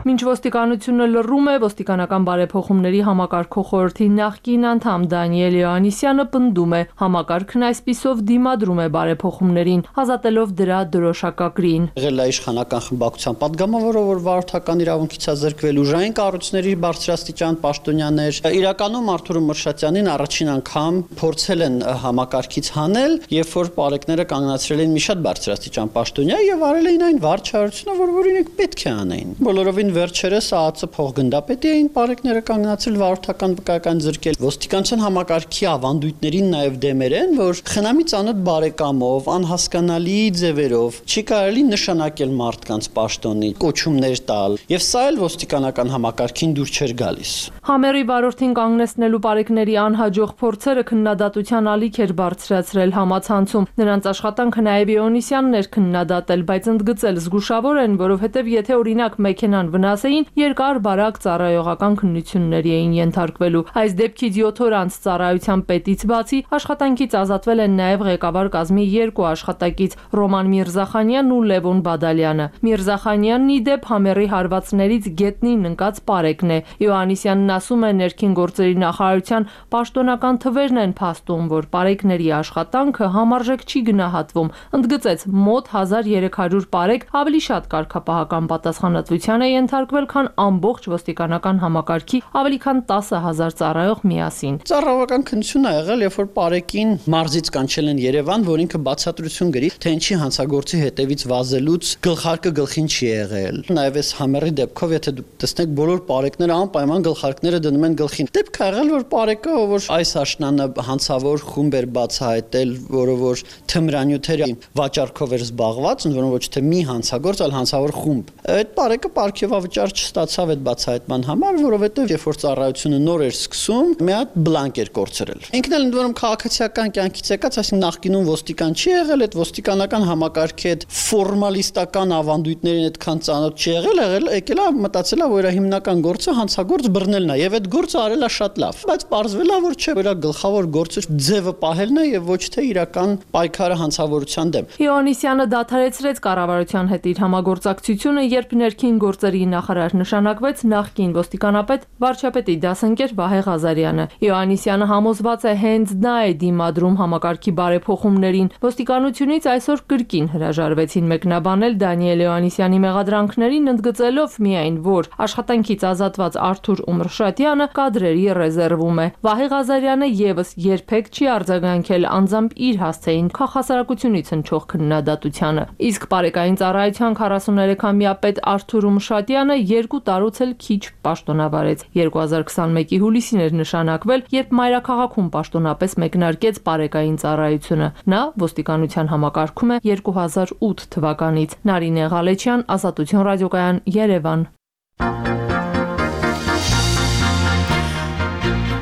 Մինչ ոստիկանությունը լռում է, ոստիկանական բարեփոխումների համակարգող խորհրդի նախկին անդամ Դանիել Յոհաննիսյանը պնդում է, համակարգն այսպիսով դիմադրում է բարեփոխումներին, ազատելով դրա դրոշակակրին։ Եղել է իշխանական խմբակցության падգամավորը, որ վարորդական իրավունքից է զրկվել, ուժային կառույցների բարձրաստիճան պաշտոնյաներ։ Իրականում Արթուր Ումրշատյանին առաջին անգամ փորձել են համակարգից հանել, երբ որ բարեկները կանգնացրել են մի շատ բարձրաստիճան պաշտոնյա եւ արել էին այն վարչարությունը, որ իրենք պետք է անեին։ Բոլորովին վերջերս ԱԱՑ փոխգնդապետի էին բարեկները կանգնացել վարորդական վկայական զրկել։ Ոստիկանության համակարգի ավանդույթներին նաև դեմեր են, որ խնամի ծանոթ բարեկամով, անհասկանալի ձևերով չի կարելի նշանակել մարդկանց պաշտոնի, կոչումներ տալ, եւ սա էլ ոստիկանական համակարգին դուր չէր գալիս։ Համերի վարորդին կանգնեցնելու բարեկների անհաջող փորձերը քննադատության ալիք էր բարձրացրել համացանցում։ Նրանց աշխատանքը նաև Իոնիսյանն էր քննադատել, բայց ընդգծել զգուշավոր են, որովհետև եթե օրինակ մեքենան ասեին, երկար բարակ ծառայողական քննությունների էին ենթարկվելու։ Այս դեպքից 7 օր անց ծառայության պետից բացի աշխատանքից ազատվել են նաև ղեկավար կազմի 2 աշխատակից՝ Ռոման Միրզախանյանն ու Լևոն Բադալյանը։ Միրզախանյանն ի դեպ Համերի հարվածներից գետնին ընկած Պարեկն է։ Յոհաննիսյանն ասում է, ներքին գործերի նախարարության պաշտոնական թվերն են փաստում, որ Պարեկների աշխատանքը համարժեք չի գնահատվում։ Ընդգծեց, մոտ 1300 Պարեկ ավելի շատ կարգապահական պատասխանատվության է ենթարկվել, քան ամբողջ ոստիկանական համակարգի ավելի քան 10,000 ծառայող միասին։ Ծառայողական քննություն ա եղել, երբ որ Պարեկին մարզից կանչել են Երևան, որ ինքը բացատրություն գրի, թե ինչի հանցագործի հետևից վազելուց գլխարկը գլխին չի եղել։ Նաև այս Համերի դեպքով, եթե դուք տեսնեք, բոլոր Պարեկները անպայման գլխարկները դնում են գլխին։ Դեպք ա եղել, որ Պարեկը, որ այս աշնանը հանցավոր խումբ էր բացահայտել, որը որ թմրանյութերի վաճառքով էր զբաղված, ընդորում ոչ թե մի հանցագործ, այլ հանցավոր խումբ։ Այդ Պարեկը պարգևավճար չստացավ այդ բացահայտման համար, որովհետև երբ որ ծառայությունը նոր էր սկսում, մի հատ բլանկ էր կորցրել։ Ինքն էլ ընդորում քաղաքացիական կյանքից եկած, այսինքն նախկինում ոստիկան չի եղել, այդ ոստիկանական համակարգի այդ ֆորմալիստական ավանդույթներին այդքան ծանոթ չի եղել, եկել է մտածել է, որ իր հիմնական գործը հանցագործ բռնելն է, եւ այդ գործը արել է շատ լավ, բայց պարզվել է, որ չէ, որ գլխավոր գործը ձևը պահելն է եւ ոչ թե իրական պայքարը հանցավորության դեմ։ Յոհաննիսյանը դադարեցրեց կառավարության հետ իր համագործակցությունը, երբ ներքին գործերի նախարար նշանակվեց նախկին ոստիկանապետ վարչապետի դասընկեր Վահե Ղազարյանը։ Յոհաննիսյանը համոզված է, հենց դա է դիմադրում համակարգի բարեփոխումներին։ Ոստիկանությունից այսօր կրկին հրաժարվեցին մեկնաբանել Դանիել Յոհաննիսյանի մեղադրանքներին, ընդգծելով միայն, որ աշխատանքից ազատված Արթուր Ումրշատյանը կադրերի ռեզերվում է։ Վահե Ղազարյանը եւս երբեք չի արձագանքել անձամբ իր հասցեին քաղաքասարակությունից հնչող քննադատությանը։ Իսկ բարեկային ծառայության 43-ամյա պետ Արթուր Ումրշատյանը 2 տարուց էլ քիչ պաշտոնավարեց։ 2021-ի հուլիսին էր նշանակվել, երբ մայրաքաղաքում պաշտոնապես մեկնարկեց բարեկային ծառայությունը։ Նա ոստիկանության համակարգում է 2008 թվականից։ Նարինե Ղալեչյան, Ազատություն ռադիոկայան, Երևան։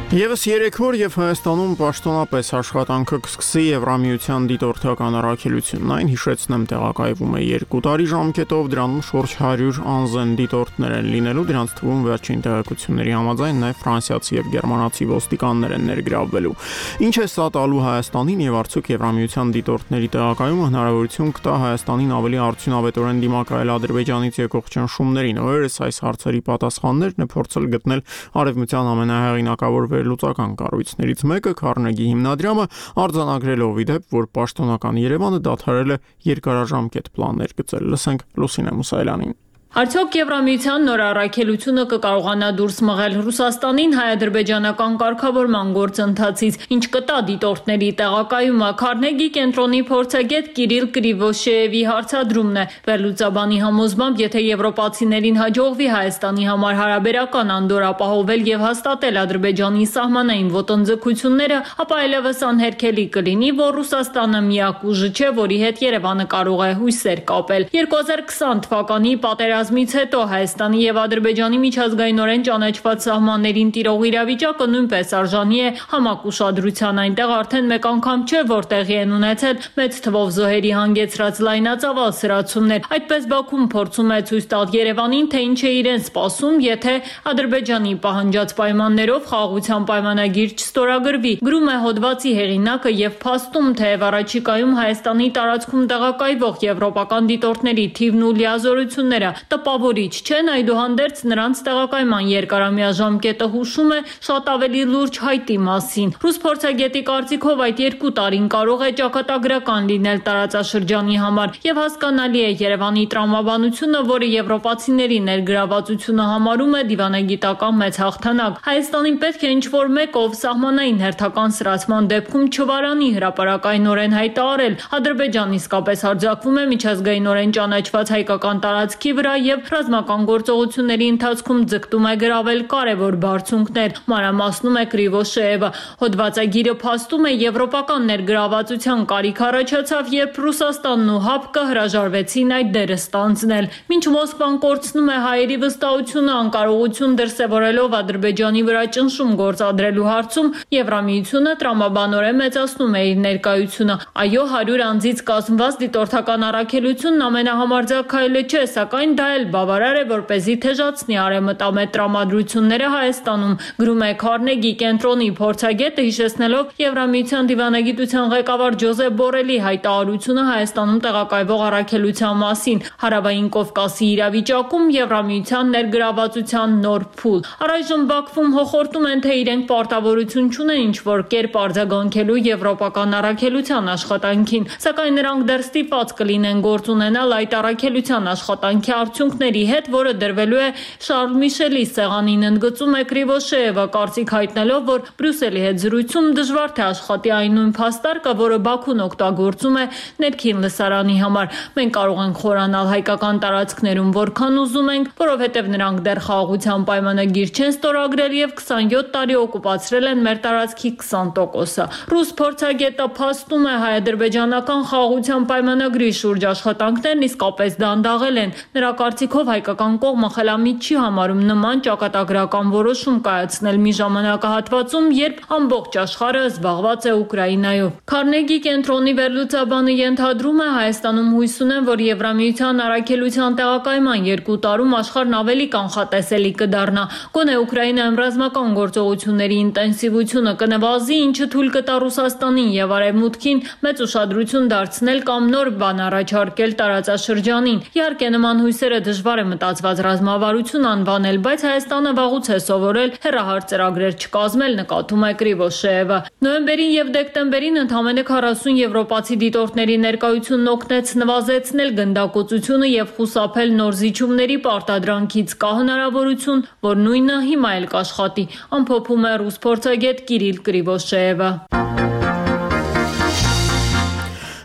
Եվս 3 օր եւ Հայաստանում պաշտոնապես աշխատանքը կսկսի Եվրամիության դիտորդական առաքելությունն, այն հիշեցնեմ տեղակայվում է 2 տարի ժամկետով, դրանում շուրջ 100 անձն դիտորդներ են լինելու, դրանց թվում վերջին տեղեկությունների համաձայն նաեւ ֆրանսիացի եւ գերմանացի ոստիկաններ են ներգրավվելու։ Ինչ է սա տալու Հայաստանին եւ արդյոք Եվրամիության դիտորդների տեղակայումը հնարավորություն կտա Հայաստանին ավելի արդյունավետորեն դիմակայել Ադրբեջանից եկող ճնշումներին։ Օրերս այս հարցերի պատասխաններն է փորձել գտնել արևմտյան ամենահեղինակավոր լուծական կառույցներից մեկը Քարնեգի հիմնադրամը արձանագրելով ի դեպ, որ պաշտոնական Երևանը դադարել է երկարաժամկետ պլաններ գծել։ Լսենք Լուսինե Մուսայելյանին։ Արդյոք Եվրամիության նոր առաքելությունը կկարողանա դուրս մղել Ռուսաստանին հայ-ադրբեջանական կարգավորման գործընթացից, ինչ կտա դիտորդների տեղակայումը։ Քարնեգի կենտրոնի փորձագետ Կիրիլ Կրիվոշեևի հարցադրումն է։ Վերլուծաբանի համոզմամբ, եթե եվրոպացիներին հաջողվի Հայաստանի համար հարաբերական անդոր ապահովել եւ հաստատել Ադրբեջանի սահմանային ոտնձգությունները, ապա այլևս անհերքելի կլինի, որ Ռուսաստանը միակ ուժը չէ, որի հետ Երևանը կարող է հույսեր կապել։ 2020 թվականի պատերազմից հետո Հայաստանի եւ Ադրբեջանի միջազգայինորեն ճանաչված սահմաններին տիրող իրավիճակը նույնպես արժանի է համակ ուշադրության։ Այնտեղ արդեն մեկ անգամ չէ, որ տեղի են ունեցել մեծ թվով զոհերի հանգեցրած լայնածավալ սրացումներ։ Այդպես Բաքուն փորձում է ցույց տալ Երևանին, թե ինչ է իրեն սպասում, եթե Ադրբեջանի պահանջած պայմաններով խաղաղության պայմանագիր չստորագրվի։ Գրում է հոդվածի հեղինակը եւ փաստում, թե առաջիկայում Հայաստանի տարածքում տեղակայվող եվրոպական դիտորդների թիվն ու լիազորությունները տպավորիչ չեն, այդուհանդերձ նրանց տեղակայման երկարամյա ժամկետը հուշում է շատ ավելի լուրջ հայտի մասին։ Ռուս փորձագետի կարծիքով այդ 2 տարին կարող է ճակատագրական լինել տարածաշրջանի համար եւ հասկանալի է Երևանի տրամաբանությունը, որը եվրոպացիների ներգրավվածությունը համարում է դիվանագիտական մեծ հաղթանակ։ Հայաստանին պետք է ինչ-որ մեկով սահմանային հերթական սրացման դեպքում չվարանի հրապարակայնորեն հայտարարել։ Ադրբեջանն իսկապես հարձակվում է միջազգայինորեն ճանաչված հայկական տարածքի վրա եւ ռազմական գործողությունների ընթացքում ձգտում է գրավել կարևոր բարձունքներ, մանրամասնում է Կրիվոշեևը։ Հոդվածագիրը փաստում է եվրոպական ներգրավվածության կարիք առաջացավ, երբ Ռուսաստանն ու ՀԱՊԿ-ը հրաժարվեցին այդ դերը ստանձնել։ Մինչ Մոսկվան կորցնում է հայերի վստահությունը անկարողություն դրսևորելով Ադրբեջանի վրա ճնշում գործադրելու հարցում, Եվրամիությունը տրամաբանորեն մեծացնում է իր ներկայությունը։ Այո, 100 անձից կազմված դիտորդական առաքելությունն ամենահամարձակ քայլը չէ, սակայն դա սա էլ բավարար է, որպեսզի թեժացնի արևմտամետ տրամադրությունները Հայաստանում, գրում է Քարնեգի կենտրոնի փորձագետը, հիշեցնելով Եվրամիության դիվանագիտության ղեկավար Ջոզեփ Բորելի հայտարարությունը Հայաստանում տեղակայվող առաքելության մասին, Հարավային Կովկասի իրավիճակում Եվրամիության ներգրավվածության նոր փուլ։ Առայժմ Բաքվում հոխորտում են, թե իրենք պարտավորություն չունեն ինչ-որ կերպ արձագանքելու եվրոպական առաքելության աշխատանքին, սակայն նրանք դեռ ստիպված կլինեն գործ ունենալ այդ առաքելության աշխատանքի արդյունքների հետ, որը դրվելու է Շարլ Միշելի սեղանին, ընդգծում է Կրիվոշեևը, կարծիք հայտնելով, որ Բրյուսելի հետ զրույցում դժվար թե աշխատի այն նույն փաստարկը, որը Բաքուն օգտագործում է ներքին լսարանի համար։ Մենք կարող ենք խորանալ հայկական տարածքներում որքան ուզում ենք, որովհետև նրանք դեռ խաղաղության պայմանագիր չեն ստորագրել եւ 27 տարի օկուպացրել են մեր տարածքի 20%-ը։ Ռուս փորձագետը փաստում է հայ-ադրբեջանական խաղաղության պայմանագրի շուրջ աշխատանքներն իսկապես դանդաղել են։ Նրա կարծիքով հայկական կողմը խելամիտ չի համարում նման ճակատագրական որոշում կայացնել մի ժամանակահատվածում, երբ ամբողջ աշխարհը զբաղված է Ուկրաինայով։ Քարնեգի կենտրոնի վերլուծաբանը ենթադրում է, Հայաստանում հույս ունեն, որ Եվրամիության առաքելության տեղակայման 2 տարում աշխարհն ավելի կանխատեսելի կդառնա։ Գոնե Ուկրաինայում ռազմական գործողությունների ինտենսիվությունը կնվազի, ինչը թույլ կտա Ռուսաստանին եւ Արևմուտքին մեծ ուշադրություն դարձնել կամ նոր բան առաջարկել տարածաշրջանին։ Իհարկե նման հույսերը դժվար է մտածված ռազմավարություն անվանել, բայց Հայաստանը վաղուց է սովորել հեռահար ծրագրեր չկազմել, նկատում է Կրիվոշեևը։ Նոյեմբերին եւ դեկտեմբերին ընդամենը 40 եվրոպացի դիտորդների ներկայությունն օգնեց նվազեցնել գնդակոծությունը եւ խուսափել նոր զիջումների պարտադրանքից։ Կա հնարավորություն, որ նույնը հիմա էլ կաշխատի, ամփոփում է ռուս փորձագետ Կիրիլ Կրիվոշեևը։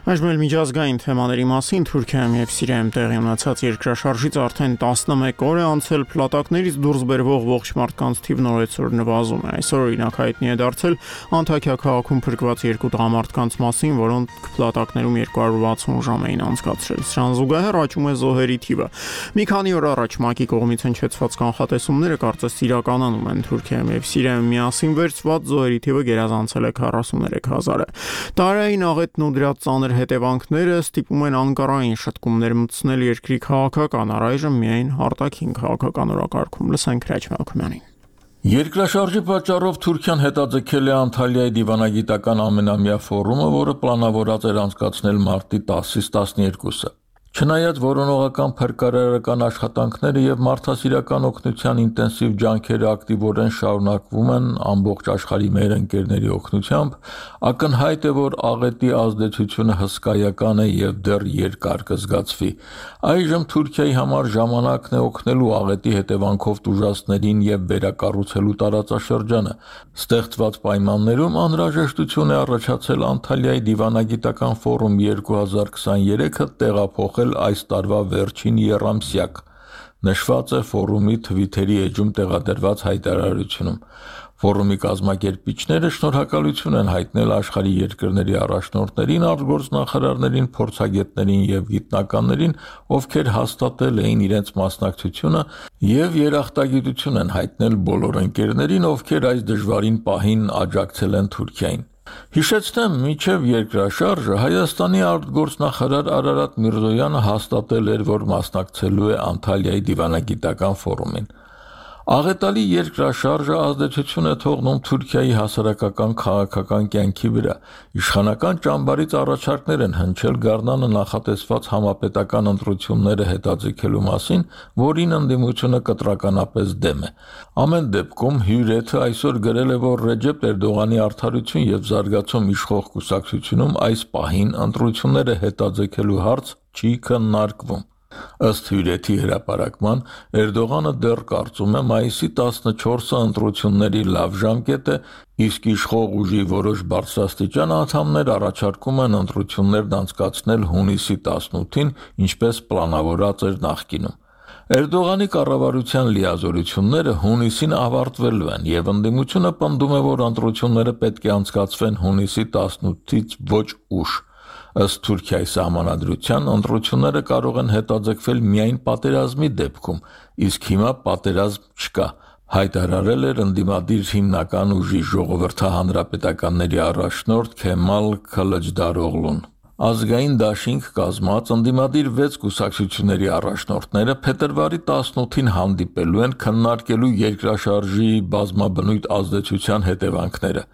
Այժմ էլ միջազգային թեմաների մասին Թուրքիայում եւ Սիրիայում տեղի ունեցած երկրաշարժից արդեն 11 օր է անցել, փլատակներից դուրս բերվող ողջ մարդկանց թիվն օրեցօր նվազում է։ Այսօր օրինակ հայտնի է դարձել Անտաքիա քաղաքում փրկված 2 տղամարդկանց մասին, որոնք փլատակներում 260 ժամ էին անցկացրել։ Սրան զուգահեռ աճում է զոհերի թիվը։ Մի քանի օր առաջ ՄԱԿ-ի կողմից հնչեցված կանխատեսումները կարծես իրականանում են Թուրքիայում եւ Սիրիայում միասին վերցված զոհերի թիվը գերազանցել է 43000-ը։ Տարային աղետն ու դրա ծանր հետևանքները ստիպում են Անկարային շտկումներ մտցնել երկրի քաղաքական, առայժմ միայն արտաքին քաղաքական օրակարգում։ Լսենք Հրաչ Մալքոյանին։ Երկրաշարժի պատճառով Թուրքիան հետաձգել է Անտալիայի դիվանագիտական ամենամյա ֆորումը, որը պլանավորած էր անցկացնել մարտի 10-ից 12-ը։ Չնայած որոնողական փրկարարական աշխատանքները եւ մարդասիրական օգնության ինտենսիվ ջանքերը ակտիվորեն շարունակվում են ամբողջ աշխարհի մեր ընկերների օգնությամբ, ակնհայտ է, որ աղետի ազդեցությունը հսկայական է եւ դեռ երկար կզգացվի։ Այժմ Թուրքիայի համար ժամանակն է օգնելու աղետի հետևանքով տուժածներին եւ վերակառուցելու տարածաշրջանը։ Ստեղծված պայմաններում անհրաժեշտություն է առաջացել Անտալիայի դիվանագիտական ֆորում 2023-ը տեղափոխել այս տարվա վերջին եռամսյակ, նշված է ֆորումի Թվիթերի էջում տեղադրված հայտարարությունում։ Ֆորումի կազմակերպիչները շնորհակալություն են հայտնել աշխարհի երկրների առաջնորդներին, արտգործնախարարներին, փորձագետներին եւ գիտնականներին, ովքեր հաստատել էին իրենց մասնակցությունը եւ երախտագիտություն են հայտնել բոլոր ընկերներին, ովքեր այս դժվարին պահին աջակցել են Թուրքիային։ Հիշեցնեմ, մինչև երկրաշարժը Հայաստանի արտգործնախարար Արարատ Միրզոյանը հաստատել էր, որ մասնակցելու է Անտալիայի դիվանագիտական ֆորումին։ Աղետալի երկրաշարժը ազդեցություն է թողնում Թուրքիայի հասարակական քաղաքական կյանքի վրա։ Իշխանական ճամբարից առաջարկներ են հնչել Գառնանը նախատեսված համապետական ընտրությունները հետաձգելու մասին, որին ընդդիմությունը կտրականապես դեմ է։ Ամեն դեպքում Հյուրեթը այսօր գրել է, որ Ռեջեփ Էրդողանի արդարություն եւ զարգացում իշխող կուսակցությունում այս պահին ընտրությունները հետաձգելու հարց չի քննարկվում։ Ըստ Հյուրեթի հրապարակման, Էրդողանը դեռ կարծում է մայիսի 14-ը ընտրությունների լավ ժամկետ է, իսկ իշխող ուժի որոշ բարձրաստիճան անդամներ առաջարկում են ընտրություններն անցկացնել հունիսի 18-ին, ինչպես պլանավորած էր նախկինում։ Էրդողանի կառավարության լիազորությունները հունիսին ավարտվելու են եւ ընդդիմությունը պնդում է, որ ընտրությունները պետք է անցկացվեն հունիսի 18-ից ոչ ուշ։ Ըստ Թուրքիայի սահմանադրության ընտրությունները կարող են հետաձգվել միայն պատերազմի դեպքում, իսկ հիմա պատերազմ չկա, հայտարարել էր ընդդիմադիր հիմնական ուժի ժողովրդահանրապետականների առաջնորդ Քեմալ Քլջդարօղլուն։ Ազգային դաշինք կազմած ընդդիմադիր 6 կուսակցությունների առաջնորդները փետրվարի 18-ին հանդիպելու են քննարկելու երկրաշարժի բազմաբնույթ ազդեցության հետևանքները։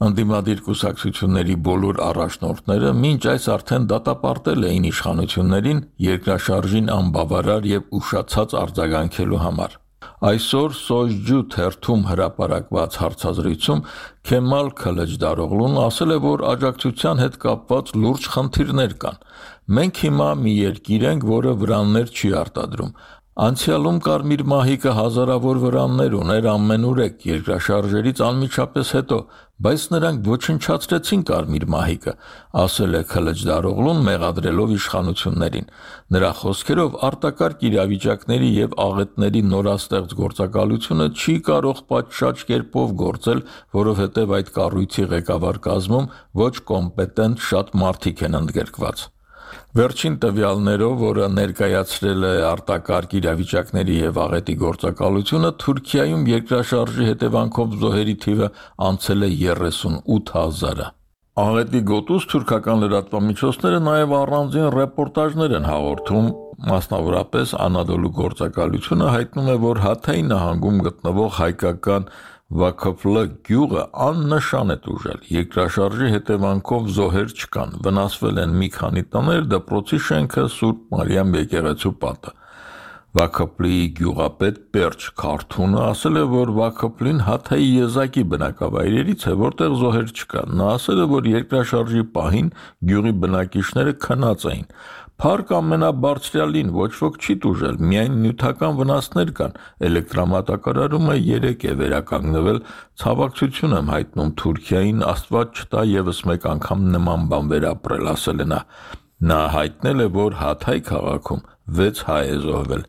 Ընդդիմադիր կուսակցությունների բոլոր առաջնորդները մինչ այս արդեն դատապարտել էին իշխանություններին երկրաշարժին անբավարար եւ ուշացած արձագանքելու համար։ Այսօր Սոյջու թերթում հրապարակված հարցազրույցում Քեմալ Քլեջդարօղլուն ասել է, որ աջակցության հետ կապված լուրջ խնդիրներ կան։ Մենք հիմա մի երկիր ենք, որը վրաններ չի արտադրում։ Անցյալում Կարմիր մահիկը հազարավոր վրաններ ուներ ամենուրեք երկրաշարժերից անմիջապես հետո, բայց նրանք ոչնչացրեցին Կարմիր մահիկը, ասել է Քլեջդարօղլուն մեղադրելով իշխանություններին։ Նրա խոսքերով արտակարգ իրավիճակների եւ աղետների նորաստեղծ գործակալությունը չի կարող պատշաճ կերպով գործել, որովհետեւ այդ կառույցի ղեկավար կազմում ոչ կոմպետենտ շատ մարդիկ են ընդգրկված։ Վերջին տվյալներով, որը ներկայացրել է արտակարգ իրավիճակների եւ աղետի գործակալությունը, Թուրքիայում երկրաշարժի հետևանքով զոհերի թիվը անցել է 38,000-ը։ Աղետի գոտուց թուրքական լրատվամիջոցները նաեւ առանձին ռեպորտաժներ են հաղորդում, մասնավորապես Անադոլու գործակալությունը հայտնում է, որ Հաթայի նահանգում գտնվող հայկական Վաքոփլը գյուղը աննշան է տուժել։ Երկրաշարժի հետևանքով զոհեր չկան, վնասվել են մի քանի տներ, դպրոցի շենքը, Սուրբ Մարիամ եկեղեցու պատը։ Վաքոփլի գյուղապետ Պերճ Քարթունը ասել է, որ Վաքոփլին Հաթայի եզակի բնակավայրերից է, որտեղ զոհեր չկան։ Նա ասել է, որ երկրաշարժի պահին գյուղի բնակիչները քնած էին։ Փառք ամենաբարձրյալին, ոչ ոք չի տուժել, միայն նյութական վնասներ կան։ Էլեկտրամատակարարումը 3 է վերականգնվել, ցավակցություն եմ հայտնում Թուրքիային, Աստված չտա եւս մեկ անգամ նման բան վերապրել, ասել է նա։ Նա հայտնել է, որ Հաթայ քաղաքում 6 հայ է զոհվել։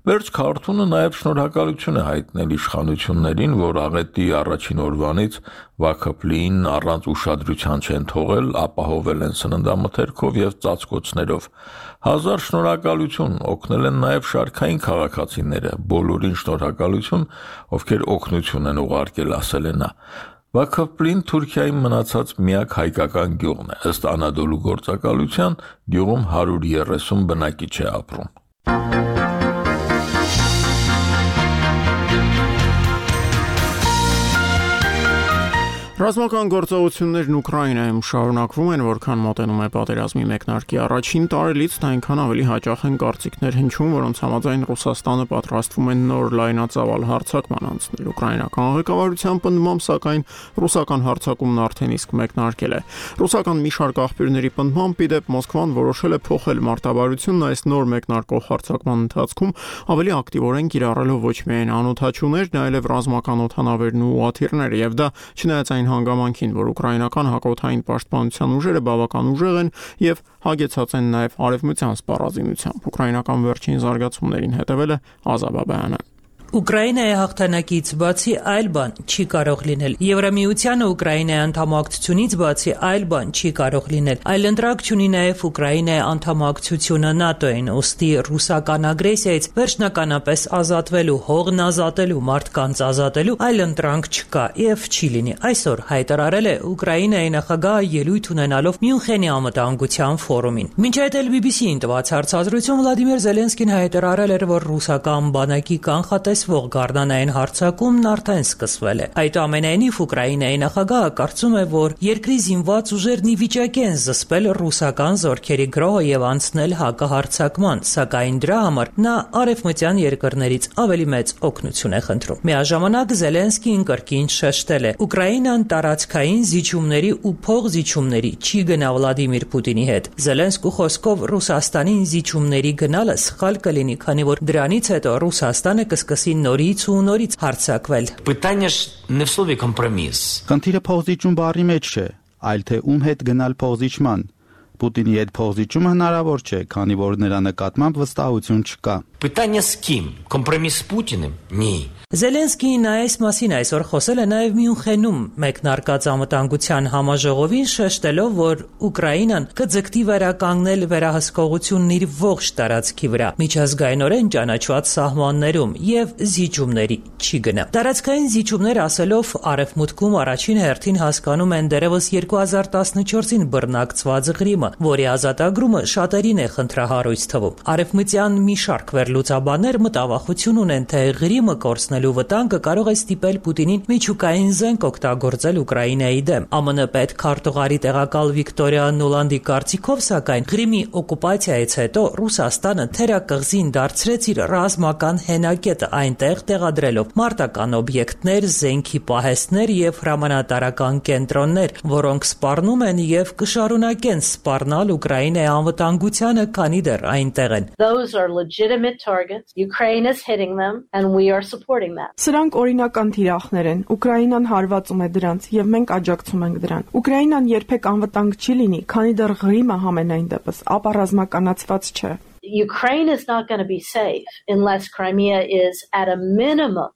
Պերճ Քարթունը նաև շնորհակալություն է հայտնել իշխանություններին, որ աղետի առաջին օրվանից Վաքոփլին առանց ուշադրության չեն թողել, ապահովել են սննդամթերքով եւ ծածկոցներով։ Հազար շնորհակալություն, օգնել են նաև շարքային քաղաքացիները, բոլորին շնորհակալություն, ովքեր օգնություն են ուղարկել, ասել է նա։ Վաքոփլին Թուրքիայի մնացած միակ հայկական գյուղն է, ըստ Անադոլու գործակալության, գյուղում 130 բնակիչ է ապրում։ Ռազմական գործողություններն Ուկրաինայում շարունակվում են, որքան մոտենում է պատերազմի մեկնարկի առաջին տարելից, այնքան ավելի հաճախ են կարծիքներ հնչում, որոնց համաձայն Ռուսաստանը պատրաստվում է նոր լայնածավալ հարձակման անցնել։ Ուկրաինական ղեկավարության պնդմամբ, սակայն ռուսական հարձակումն արդեն իսկ մեկնարկել է։ Ռուսական մի շարք աղբյուրների պնդմամբ, ի դեպ Մոսկվան որոշել է փոխել մարտավարությունն այս նոր մեկնարկող հարձակման ընթացքում, ավելի ակտիվորեն կիրառելով ոչ միայն անօդաչուներ, այլև ռազմական օդանավերն ու ուղղաթիռներ, եւ դա չնայած այն հանգամանքին, որ ուկրաինական հակօդային պաշտպանության ուժերը բավական ուժեղ են եւ հագեցած են նաեւ արևմտյան սպառազինությամբ։ Ուկրաինական վերջին զարգացումներին հետևել է Ազա Բաբայանը։ Ուկրաինայի հաղթանակից բացի այլ բան չի կարող լինել։ Եվրամիությանը Ուկրաինայի անդամակցությունից բացի այլ բան չի կարող լինել։ Այլընտրանք չունի նաև Ուկրաինայի անդամակցությունը ՆԱՏՕ-ին, ուստի ռուսական ագրեսիայից վերջնականապես ազատվելու, հողն ազատելու, մարդկանց ազատելու այլընտրանք չկա եւ չի լինի։ Այսօր հայտարարել է Ուկրաինայի նախագահը ելույթ ունենալով Մյունխենի անվտանգության ֆորումին։ Մինչ այդ էլ BBC-ին տված հարցազրույցում Վլադիմիր Զելենսկին հայտարարել էր, որ ռուսական բանակի կանխատես գարնանային հարձակումն արդեն սկսվել է։ Այդուամենայնիվ Ուկրաինայի նախագահը կարծում է, որ երկրի զինված ուժերն ի վիճակի են զսպել ռուսական զորքերի գրոհը եւ անցնել հակահարձակման, սակայն դրա համար նա արևմտյան երկրներից ավելի մեծ օգնություն է խնդրում։ Միաժամանակ Զելենսկին կրկին շեշտել է. Ուկրաինան տարածքային զիջումների ու փողզիջումների չի գնա Վլադիմիր Պուտինի հետ։ Զելենսկու խոսքով Ռուսաստանին զիջումների գնալը սխալ կլինի, քանի որ դրանից հետո Ռուսաստանը կսկսի նորից ու նորից հարձակվել։ Խնդիրը փողզիջում բառի մեջ չէ, այլ թե ում հետ գնալ փողզիջման։ Պուտինի հետ փողզիջումը հնարավոր չէ, քանի որ նրա նկատմամբ վստահություն չկա։ Питання з ким? Компроміс з Путіним? Ні. Զելենսկին այս մասին այսօր խոսել է նաև Մյունխենում մեկնարկած անվտանգության համաժողովին, շեշտելով, որ Ուկրաինան կձգտի վերականգնել վերահսկողությունն իր ողջ տարածքի վրա, միջազգայինորեն ճանաչված սահմաններում եւ զիջումների չի գնա։ Տարածքային զիջումներ ասելով Արևմուտքում առաջին հերթին հասկանում են դերևս 2014-ին բռնակցված Ղրիմը, որի ազատագրումը շատերին է խնդրահարույց թվում։ Արևմտյան մի շարք վերլուծաբաններ մտավախություն ունեն, թե Ղրիմը կորցնել վտանգը կարող է ստիպել Պուտինին միջուկային զենք օգտագործել Ուկրաինայի դեմ։ ԱՄՆ պետքարտուղարի տեղակալ Վիկտորիա Նոլանդի կարծիքով, սակայն Ղրիմի օկուպացիայից հետո Ռուսաստանը թերակղզին դարձրեց իր ռազմական հենակետը, այնտեղ տեղադրելով մարտական օբյեկտներ, զենքի պահեստներ եւ հրամանատարական կենտրոններ, որոնք սպառնում են եւ կշարունակեն սպառնալ Ուկրաինայի անվտանգությանը, քանի դեռ այնտեղ են։ Those are legitimate targets. Ukraine is hitting them and we are supporting. Սրանք օրինական թիրախներ են։ Ուկրաինան հարվածում է դրանց եւ մենք աջակցում ենք դրան։ Ուկրաինան երբեք անվտանգ չի լինի, քանի դեռ Ղրիմը համենայն դեպս ապառազմականացված չէ։ Ukraine is not going to be safe unless Crimea is at a minimum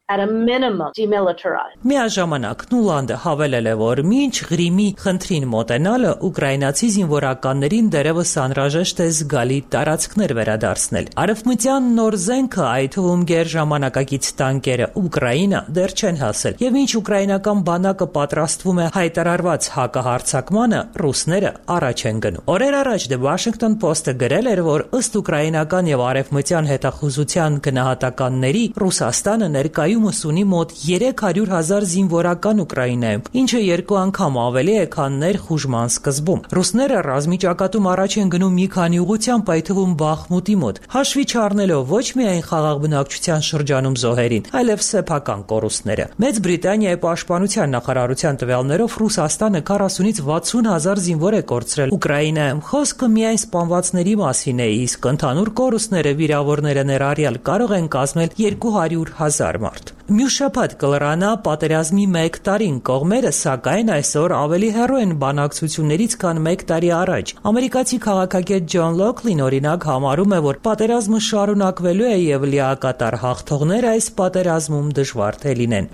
demilitarized. Միաժամանակ Նուլանդը հավելել է, որ մինչ Ղրիմի խնդրին մոտենալը ուկրաինացի զինվորականներին դերևս անհրաժեշտ է զգալի տարածքներ վերադարձնել։ Արևմտյան նոր զենքը, այդ թվում գերժամանակակից տանկերը Ուկրաինա դեռ չեն հասել, եւ ինչ ուկրաինական բանակը պատրաստվում է հայտարարված հակահարձակմանը, ռուսները առաջ են գնում։ Օրեր առաջ The Washington Post-ը գրել էր, որ ըստ ուկրաինական եւ արևմտյան հետախուզության գնահատականների Ռուսաստանը ներկայումս ունի մոտ 300,000 զինվորական Ուկրաինայում, ինչը 2 անգամ ավելի է, քան ներխուժման սկզբում։ Ռուսները ռազմի ճակատում առաջ են գնում մի քանի ուղղությամբ, այդ թվում Բախմուտի մոտ, հաշվի չառնելով ոչ միայն խաղաղ բնակչության շրջանում զոհերին, այլև սեփական կորուստները։ Մեծ Բրիտանիայի պաշտպանության նախարարության տվյալներով Ռուսաստանը 40-ից 60,000 զինվոր է կորցրել Ուկրաինայում։ Խոսքը միայն սպանվածների մասին է, իսկ ընդհանուր կորուստները վիրավորները ներառյալ կարող են կազմել 200,000 մարդ։ Մյուս շաբաթ կլրանա պատերազմի 1 տարին, կողմերը սակայն այսօր ավելի հեռու են բանակցություններից, քան 1 տարի առաջ։ Ամերիկացի քաղաքագետ Ջոն Լոքլին օրինակ համարում է, որ պատերազմը շարունակվելու է եւ լիակատար հաղթողները այս պատերազմում դժվար թե լինեն։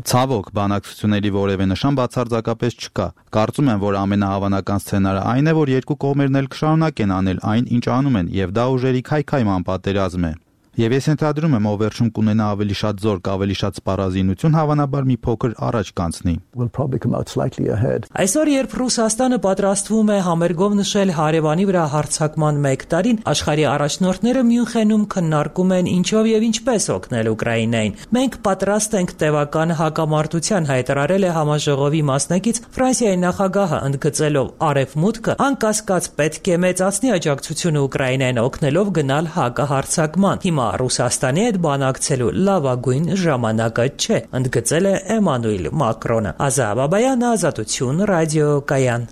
Ցավոք, բանակցությունների որևէ նշան բացարձակապես չկա։ Կարծում եմ, որ ամենահավանական սցենարը այն է, որ երկու կողմերն էլ կշարունակեն անել այն, ինչ անում են, եւ դա ուժերի քայքայման պատերազմ է։ Եվ ես ենթադրում եմ, ով վերջում կունենա ավելի շատ զորք, ավելի շատ սպառազինություն, հավանաբար մի փոքր առաջ կանցնի։ Այսօր, երբ Ռուսաստանը պատրաստվում է համերգով նշել հարևանի վրա հարձակման 1 տարին, աշխարհի առաջնորդները Մյունխենում քննարկում են ինչով եւ ինչպես օգնել Ուկրաինային։ Մենք պատրաստ ենք տևական հակամարտության, հայտարարել է համաժողովի մասնակից Ֆրանսիայի նախագահը, ընդգծելով արևմուտքը անկասկած պետք է մեծացնի աջակցությունը Ուկրաինային, օգնելով գնալ հակահարձակման։ Հիմա Ռուսաստանի հետ բանակցելու լավագույն ժամանակը չէ, ընդգծել է Էմանուել Մակրոնը։ Ազա Բաբայան, Ազատություն, ռադիո Կայան։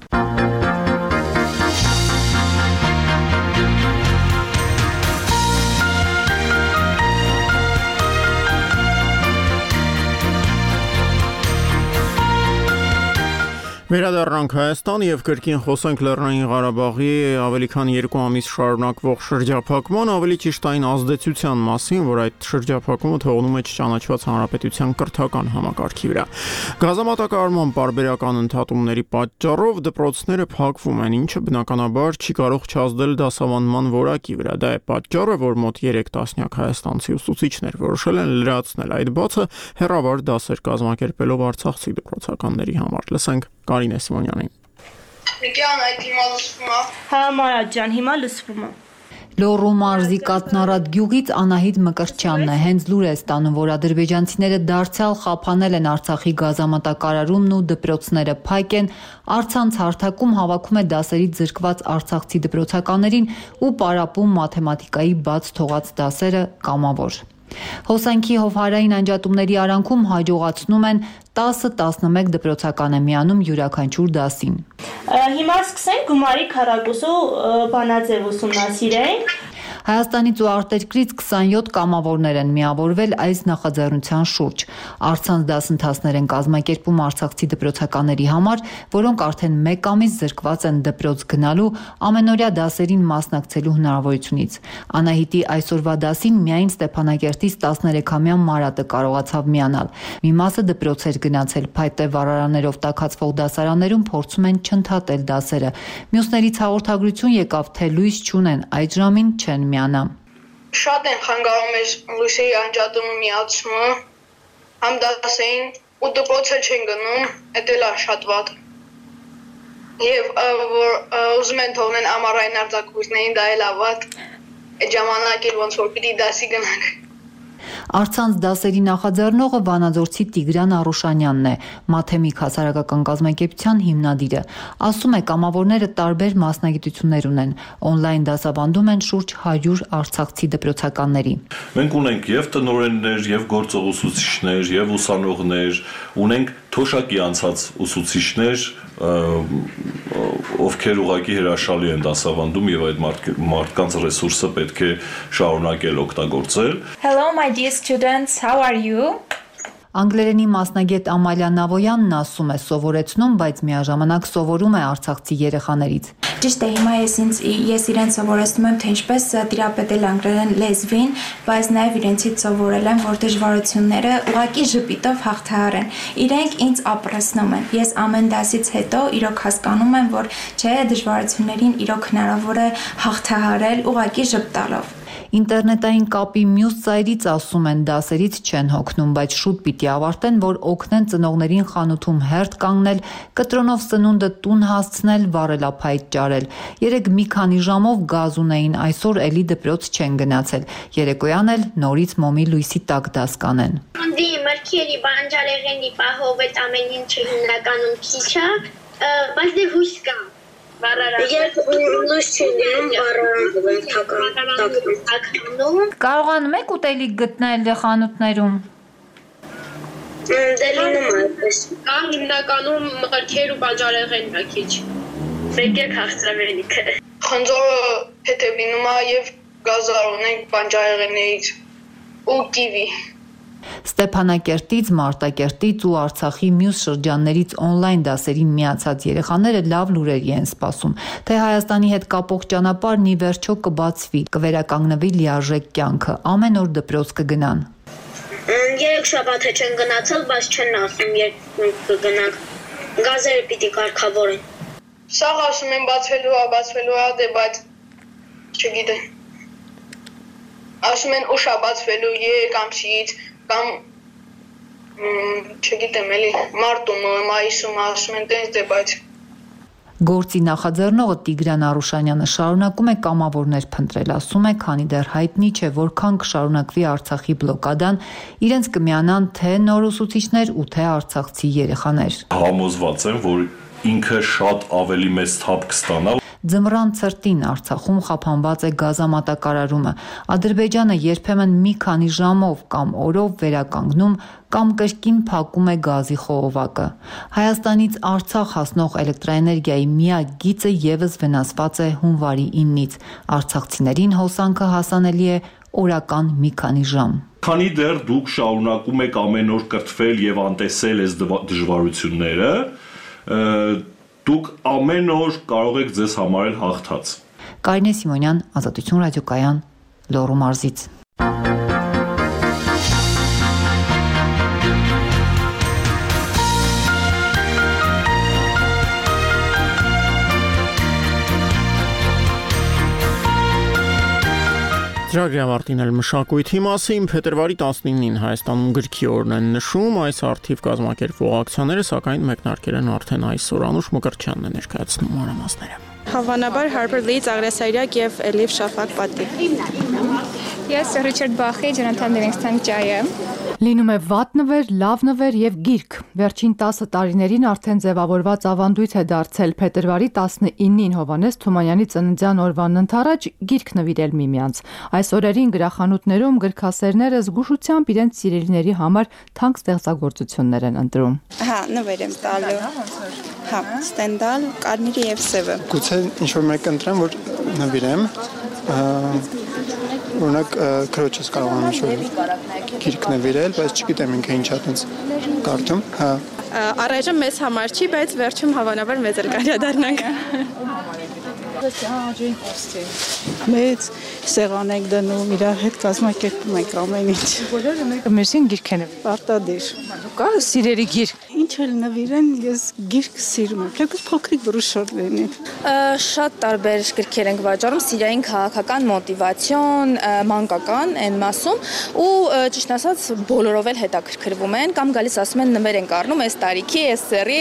Վերադառնանք Հայաստան եւ կրկին խոսենք Լեռնային Ղարաբաղի ավելի քան 2 ամիս շարունակվող շրջափակման, ավելի ճիշտ այն ազդեցության մասին, որ այդ շրջափակումը թողնում է չճանաչված հանրապետության կրթական համակարգի վրա։ Գազամատակարարման պարբերական ընդհատումների պատճառով դպրոցները փակվում են, ինչը բնականաբար չի կարող չազդել դասավանդման որակի վրա։ Դա է պատճառը, որ մոտ 3 տասնյակ հայաստանցի ուսուցիչներ որոշել են լրացնել այդ բացը հեռավար դասեր կազմակերպելով արցախցի դպրոցականների համար։ Լսենք Կարինե Սիմոնյանին։ Նիկյան, այդ հիմա լսվում է։ Հա, Մարա ջան, հիմա լսվում է։ Լոռու մարզի Կատնարատ գյուղից Անահիտ Մկրտչյանն է հենց լուր է ստանում, որ ադրբեջանցիները դարձյալ խափանել են Արցախի գազամատակարարումն ու դպրոցները փակ են, առցանց հարթակում հավաքում է դասերից զրկված արցախցի դպրոցականներին ու պարապում մաթեմատիկայի բաց թողած դասերը կամավոր։ Հոսանքի հովհարային անջատումների արանքում հաջողացնում են 10-11 դպրոցական է միանում յուրաքանչյուր դասին։ Հիմա սկսենք գումարի քառակուսու բանաձև ուսումնասիրենք։ Հայաստանից ու արտերկրից 27 կամավորներ են միավորվել այս նախաձեռնության շուրջ։ Առցանց դասընթացներ են կազմակերպում արցախցի դպրոցականների համար, որոնք արդեն 1 ամիս զրկված են դպրոց գնալու ամենօրյա դասերին մասնակցելու հնարավորությունից։ Անահիտի այսօրվա դասին միայն Ստեփանակերտից 13-ամյա Մարատը կարողացավ միանալ։ Մի մասը դպրոց էր գնացել, փայտե վառարաններով տաքացվող դասարաններում փորձում են չընդհատել դասերը։ Մյուսներից հաղորդագրություն եկավ, թե լույս չունեն, այդ ժամին չեն միանա։ Շատ են խանգարում ես լույսերի անջատումը միացումը, համ դասային ու դպրոցը չեն գնում, դա էլ է շատ վատ։ Եվ որ ուզում են թողնեն ամառային արձակուրդներին, դա էլ է վատ։ Այդ ժամանակին ոնց որ պիտի դասի գնանք։ Առցանց դասերի նախաձեռնողը Վանաձորցի Տիգրան Արուշանյանն է, Մաթեմիկ հասարակական կազմակերպության հիմնադիրը։ Ասում է, կամավորները տարբեր մասնագիտություններ ունեն, օնլայն դասավանդում են շուրջ 100 արցախցի դպրոցականների։ Մենք ունենք եւ տնօրեններ, եւ գործող ուսուցիչներ, եւ ուսանողներ, ունենք թոշակի անցած ուսուցիչներ, ովքեր ուղղակի հրաշալի են դասավանդում եւ այդ մարդկանց ռեսուրսը պետք է շարունակել օգտագործել։ Hello my dear students, how are you? Անգլերենի մասնագետ Ամալիա Նավոյանն ասում է, սովորեցնում, բայց միաժամանակ սովորում է արցախցի երեխաներից։ Ճիշտ է, հիմա ես իրեն սովորեցնում եմ, թե ինչպես տիրապետել անգլերեն լեզվին, բայց նաև իրենցից սովորել եմ, որ դժվարությունները ուղղակի ժպիտով հաղթահարեն։ Իրենք ինձ ապրեցնում են։ Ես ամեն դասից հետո իրոք հասկանում եմ, որ չէ, դժվարություններին իրոք հնարավոր է հաղթահարել ուղղակի ժպտալով։ Ինտերնետային կապի մյուս ծայրից ասում են դասերից չեն հոգնում, բայց շուտ պիտի ավարտեն, որ օգնեն ծնողներին խանութում հերթ կանգնել, կտրոնով սնունդը տուն հասցնել, վառելափայտ ճարել։ Երեկ մի քանի ժամով գազ ունեին, այսօր էլի դպրոց չեն գնացել։ Երեկոյան էլ նորից մոմի լույսի տակ դաս կանեն։ Դի մրգերի բանջարեղենի պահովետ ամեն ինչը հիմնականում քիչ է, բայց դե հույս կա։ Երբ լույս չեն գնում, վառարանում են թականում։ Կարողանում եք ուտելիք գտնել խանութներում։ Դե լինում է այդպես։ Կան հիմնականում մրգեր ու բանջարեղենն է քիչ։ Եկեք հաղթրավելիքը։ Խնձորը հետև լինում է եւ գազար ունենք բանջարեղեններից ու կիվի։ Ստեփանակերտից, Մարտակերտից ու Արցախի մյուս շրջաններից օնլայն դասերին միացած երեխաները լավ լուրերի են սպասում, թե Հայաստանի հետ կապող ճանապարհն ի վերջո կբացվի, կվերականգնվի լիարժեք կյանքը, ամեն օր դպրոց կգնան։ 3 շաբաթ է չեն գնացել, բայց չեն ասում երբ կգնանք։ Գազերը պիտի կարգավորեն։ Սաղ ասում են բացվելու է, դե բայց չգիտեմ։ Ասում են ուշ է բացվելու 3 ամսից կամ չգիտեմ էլի մարտում, մայիսում ասում են տենց դե բայց Գործի նախաձեռնողը Տիգրան Արուշանյանը շարունակում է կամավորներ փնտրել, ասում է, քանի դեռ հայտնի չէ որքան կշարունակվի Արցախի բլոկադան, իրենց կմիանան թե նոր ուսուցիչներ ու թե արցախցի երեխաներ։ Համոզված եմ, որ ինքը շատ ավելի մեծ թափ կստանա։ Ձմռան ցրտին Արցախում խափանված է գազամատակարարումը։ Ադրբեջանը երբեմն մի քանի ժամով կամ օրով վերականգնում կամ կրկին փակում է գազի խողովակը։ Հայաստանից Արցախ հասնող էլեկտրաէներգիայի միակ գիծը եւս վնասված է հունվարի 9-ից։ Արցախցիներին հոսանքը հասանելի է օրական մի քանի ժամ։ Քանի դեռ դուք շարունակում եք ամեն օր կրթվել եւ անտեսել այս դժվարությունները, դուք ամեն օր կարող եք ձեզ համարել հաղթած։ Կարինե Սիմոնյան, Ազատություն ռադիոկայան, Լոռու մարզից։ Ծրագրի ավարտին էլ մշակույթի մասին փետրվարի 19-ին Հայաստանում գրքի օրն են նշում, այս արդիվ կազմակերպվող ակցիաները սակայն մեկնարկել են արդեն այսօր։ Անուշ Մկրտչյանն է ներկայացնում մանրամասները։ Հավանաբար Harper Lee, Աղրեսարյակ եւ Էլիվ Շաֆակ պատի։ Ես Ռիչարդ Բախի, Ջոնաթան Լիվինգսթոն Ջայը։ Լինում է վատ նվեր, լավ նվեր եւ գիրք։ Վերջին 10 տարիներին արդեն ձևավորված ավանդույթ է դարձել փետրվարի 19-ին Հովհաննես Թումանյանի ծննդյան օրվան ընթառաջ գիրք նվիրել միմյանց։ Այս օրերին գրախանութներում գրքասերները զգուշությամբ իրենց սիրելիների համար թանկ ստեղծագործություններ են ընտրում։ Հա, նվեր եմ տալու։ Հա, Ստենդալ, Կարմիրի եւ Սևը։ Գուցե ինչ-որ մեկ ընտրեմ, որ նվիրեմ։ օրինակ քրոջս կարող եմ ինչ-որ գիրք նվիրել, բայց չգիտեմ ինքը ինչա տենց կարդում, հա։ Առայժմ մեզ համար չի, բայց վերջում հավանաբար մեզ էլ կարա դառնանք։ Մեծ սեղան ենք դնում, իր հետ կազմակերպում ենք ամեն ինչ։ Բոլորը մեկը մերսին գիրք են նվիրել։ Պարտադիր։ Կա սիրելի գիրք։ Ինչ էլ նվիրեն, ես գիրք սիրում եմ։ Թեկուզ փոքրիկ բրուշոր լինի։ Շատ տարբեր գրքեր ենք վաճառում, սիրային, քաղաքական, մոտիվացիոն, մանկական այն մասում ու ճիշտ ասած բոլորով էլ հետաքրքրվում են կամ գալիս ասում են նվեր ենք առնում այս տարիքի, այս սերի,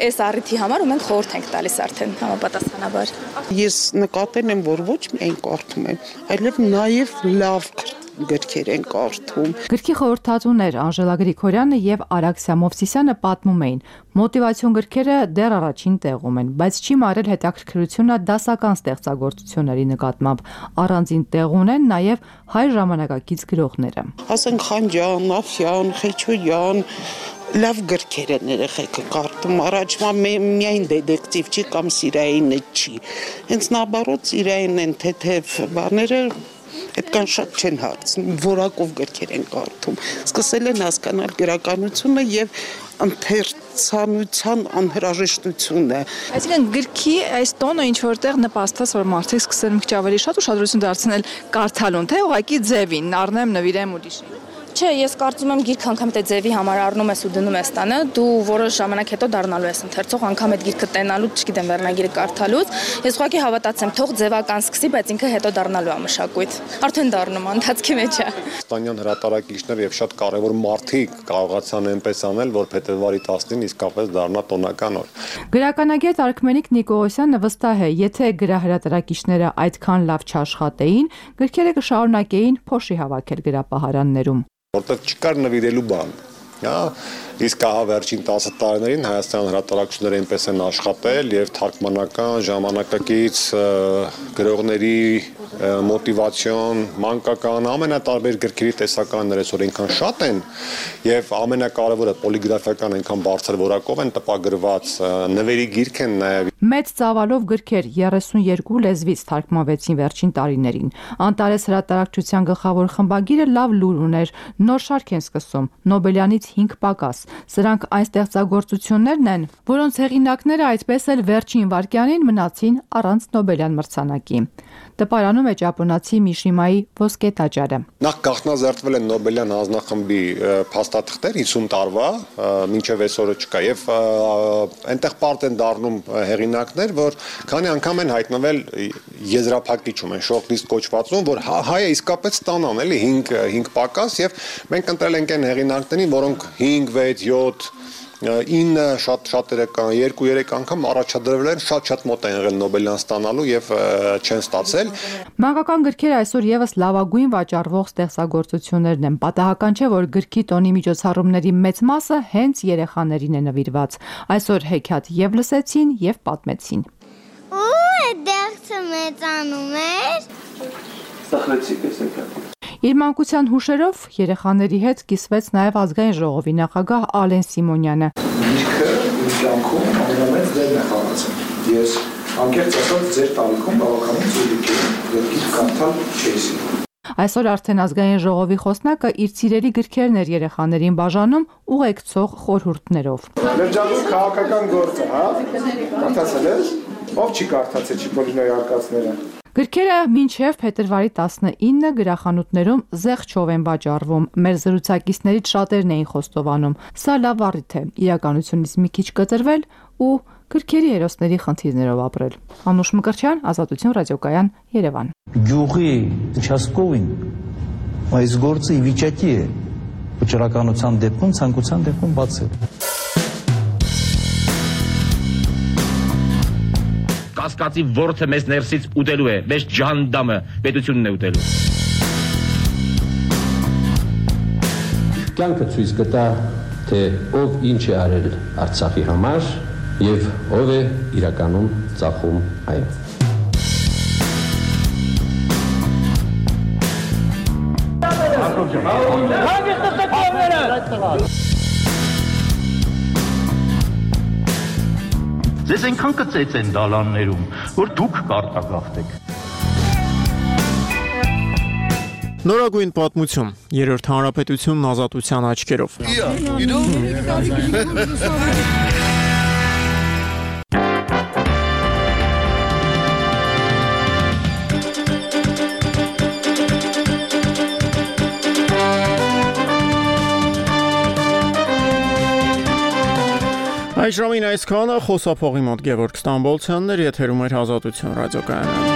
այս առիթի համար ու մենք խորհուրդ ենք տալիս արդեն համապատասխանաբար։ Ես նկատել եմ, որ ոչ միայն կարդում եմ, այլև նաև լավ գրքեր են կարդում։ Գրքի խորհրդատուներ Անժելա Գրիգորյանը եւ Արաքսիա Մովսիսյանը պատմում էին, մոտիվացիոն գրքերը դեռ առաջին տեղում են, բայց չի մարել հետաքրքրությունը դասական ստեղծագործությունների նկատմամբ։ Առանձին տեղ ունեն նաեւ հայ ժամանակակից գրողները։ Ասենք Խանջյան, Աֆյան, Խեչոյան լավ գրքեր են երեխեքը կարդում, առաջվա միայն դետեկտիվ չի կամ սիրայինը չի։ Հենց նաբարոտ սիրային են թեթև բաները այդքան շատ չեն հարցնում, որակով գրքեր են կարդում։ Սկսել են հասկանալ գրականությունը եւ ընթերցանության անհրաժեշտությունը։ Այսինքն գրքի այս տոնը ինչ որտեղ նպաստած, որ մարդիկ սկսել մի քիչ ավելի շատ ուշադրություն դարձնել կարդալուն, թե ուղղակի ձևին, առնեմ, նվիրեմ ուրիշին։ Չէ, ես կարծում եմ գիրք անգամ թե ձևի համար առնում ես ու դնում ես տանը, դու որոշ ժամանակ հետո դառնալու ես ընթերցող, անգամ այդ գիրքը տենալու, չգիտեմ, վերնագիրը կարդալուց, ես ուղղակի հավատացեմ, թող ձևական սկսի, բայց ինքը հետո դառնալու է մշակույթ։ Արդեն դառնում է, ընթացքի մեջ է։ Ստանյան հրատարակիչներ եւ շատ կարեւոր մարդիկ կարողացան այնպես անել, որ փետրվարի 10-ին իսկապես դառնա տոնական օր։ Գրականագետ Արքմենիկ Նիկողոսյանը վստահ է, եթե գրահրատարակիչները այդքան լավ չաշխատեին, գրքերը կշարունակեին փոշի հավաքել գրապահարաններում։ Որտեղ չկար նվիրելու բան, հա, իսկ ահա վերջին 10 տարիներին Հայաստան հրատարակչությունները այնպես են աշխատել եւ թարգմանական, ժամանակակից գրողների մոտիվացիոն, մանկական, ամենատարբեր գրքերի տեսականներ այսօր այնքան շատ են եւ ամենակարևորը պոլիգրաֆիական այնքան բարձր որակով են տպագրված, նվերի գիրք են նաեւ։ Մեծ ծավալով գրքեր 32 լեզվից թարգմանվեցին վերջին տարիներին։ Անտարես հրատարակչության գլխավոր խմբագիրը լավ լուր ուներ, նոր շարք են սկսում, Նոբելյանից 5 պակաս։ Սրանք այն ստեղծագործություններն են, որոնց հեղինակները այդպես էլ վերջին վայրկյանին մնացին առանց Նոբելյան մրցանակի։ Տպարանում է ճապոնացի Միշիմայի ոսկե տաճարը։ Նախ գաղտնազերծվել են Նոբելյան հանձնախմբի փաստաթղթեր 50 տարվա, մինչև այսօրը չկա եւ այնտեղ պարտ են դառնում հեղինակներ, որ քանի անգամ են հայտնվել եզրափակիչում են շորթլիստ կոչվածում, որ հայը իսկապես ստանան էլի 5 պակաս եւ մենք ընտրել ենք այն հեղինակներին, որոնք 5, 6, 7 9 շատերը կան 2-3 անգամ առաջադրվել են շատ մոտ են եղել Նոբելյան ստանալու եւ չեն ստացել։ Մանկական գրքերը այսօր եւս լավագույն վաճառվող ստեղծագործություններն են։ Պատահական չէ, որ գրքի տոնի միջոցառումների մեծ մասը հենց երեխաներին է նվիրված։ Այսօր հեքիաթ եւ լսեցին եւ պատմեցին։ Դերձը մեծանում էր։ Սախրեցիք էս հեքիաթը։ Իր մանկության հուշերով երեխաների հետ կիսվեց նաև ազգային ժողովի նախագահ Ալեն Սիմոնյանը։ Գիրքը իմ կյանքում ամենամեծ դերն է խաղացել։ Ես անկեղծ ասած ձեր տարիքում բավականին ծույլիկ եմ, եւ գիրք կարդալ չէի սիրում։ Այսօր արդեն ազգային ժողովի խոսնակը իր սիրելի գրքերն էր երեխաներին բաժանում ուղեկցող խորհուրդներով։ Լրջագույն քաղաքական գործը, հա։ Կարդացել ես։ Ով չի կարդացել Չիպոլինոյի արկածները։ Գրքերը մինչև փետրվարի 19 գրախանութներում զեղչով են վաճառվում։ Մեր զրուցակիցներից շատերն էին խոստովանում։ Սա լավ առիթ է իրականությունից մի քիչ կտրվել ու գրքերի հերոսների խնդիրներով ապրել։ Անուշ Մկրտչյան, Ազատություն ռադիոկայան, Երևան։ Գյուղի участковին այս գործը ի վիճակի է վճռականության դեպքում, ցանկության դեպքում բացել։ Կասկածի ворթը մեզ ներսից ուտելու է, մեզ ջանդամը պետությունն է ուտելու։ Կյանքը ցույց կտա, թե ով ինչ է արել Արցախի համար եւ ով է իրականում ծախում այն։ Ձեզ այնքան կծեց են դալաններում, որ դուք կարտագաղթեք։ Նորագույն պատմություն, երրորդ հանրապետությունն ազատության աչքերով։ Այս ժամին այսքանը խոսափողի մոտ Գևորգ Ստամբոլցյանն էր, եթերում էր Ազատություն ռադիոկայանը։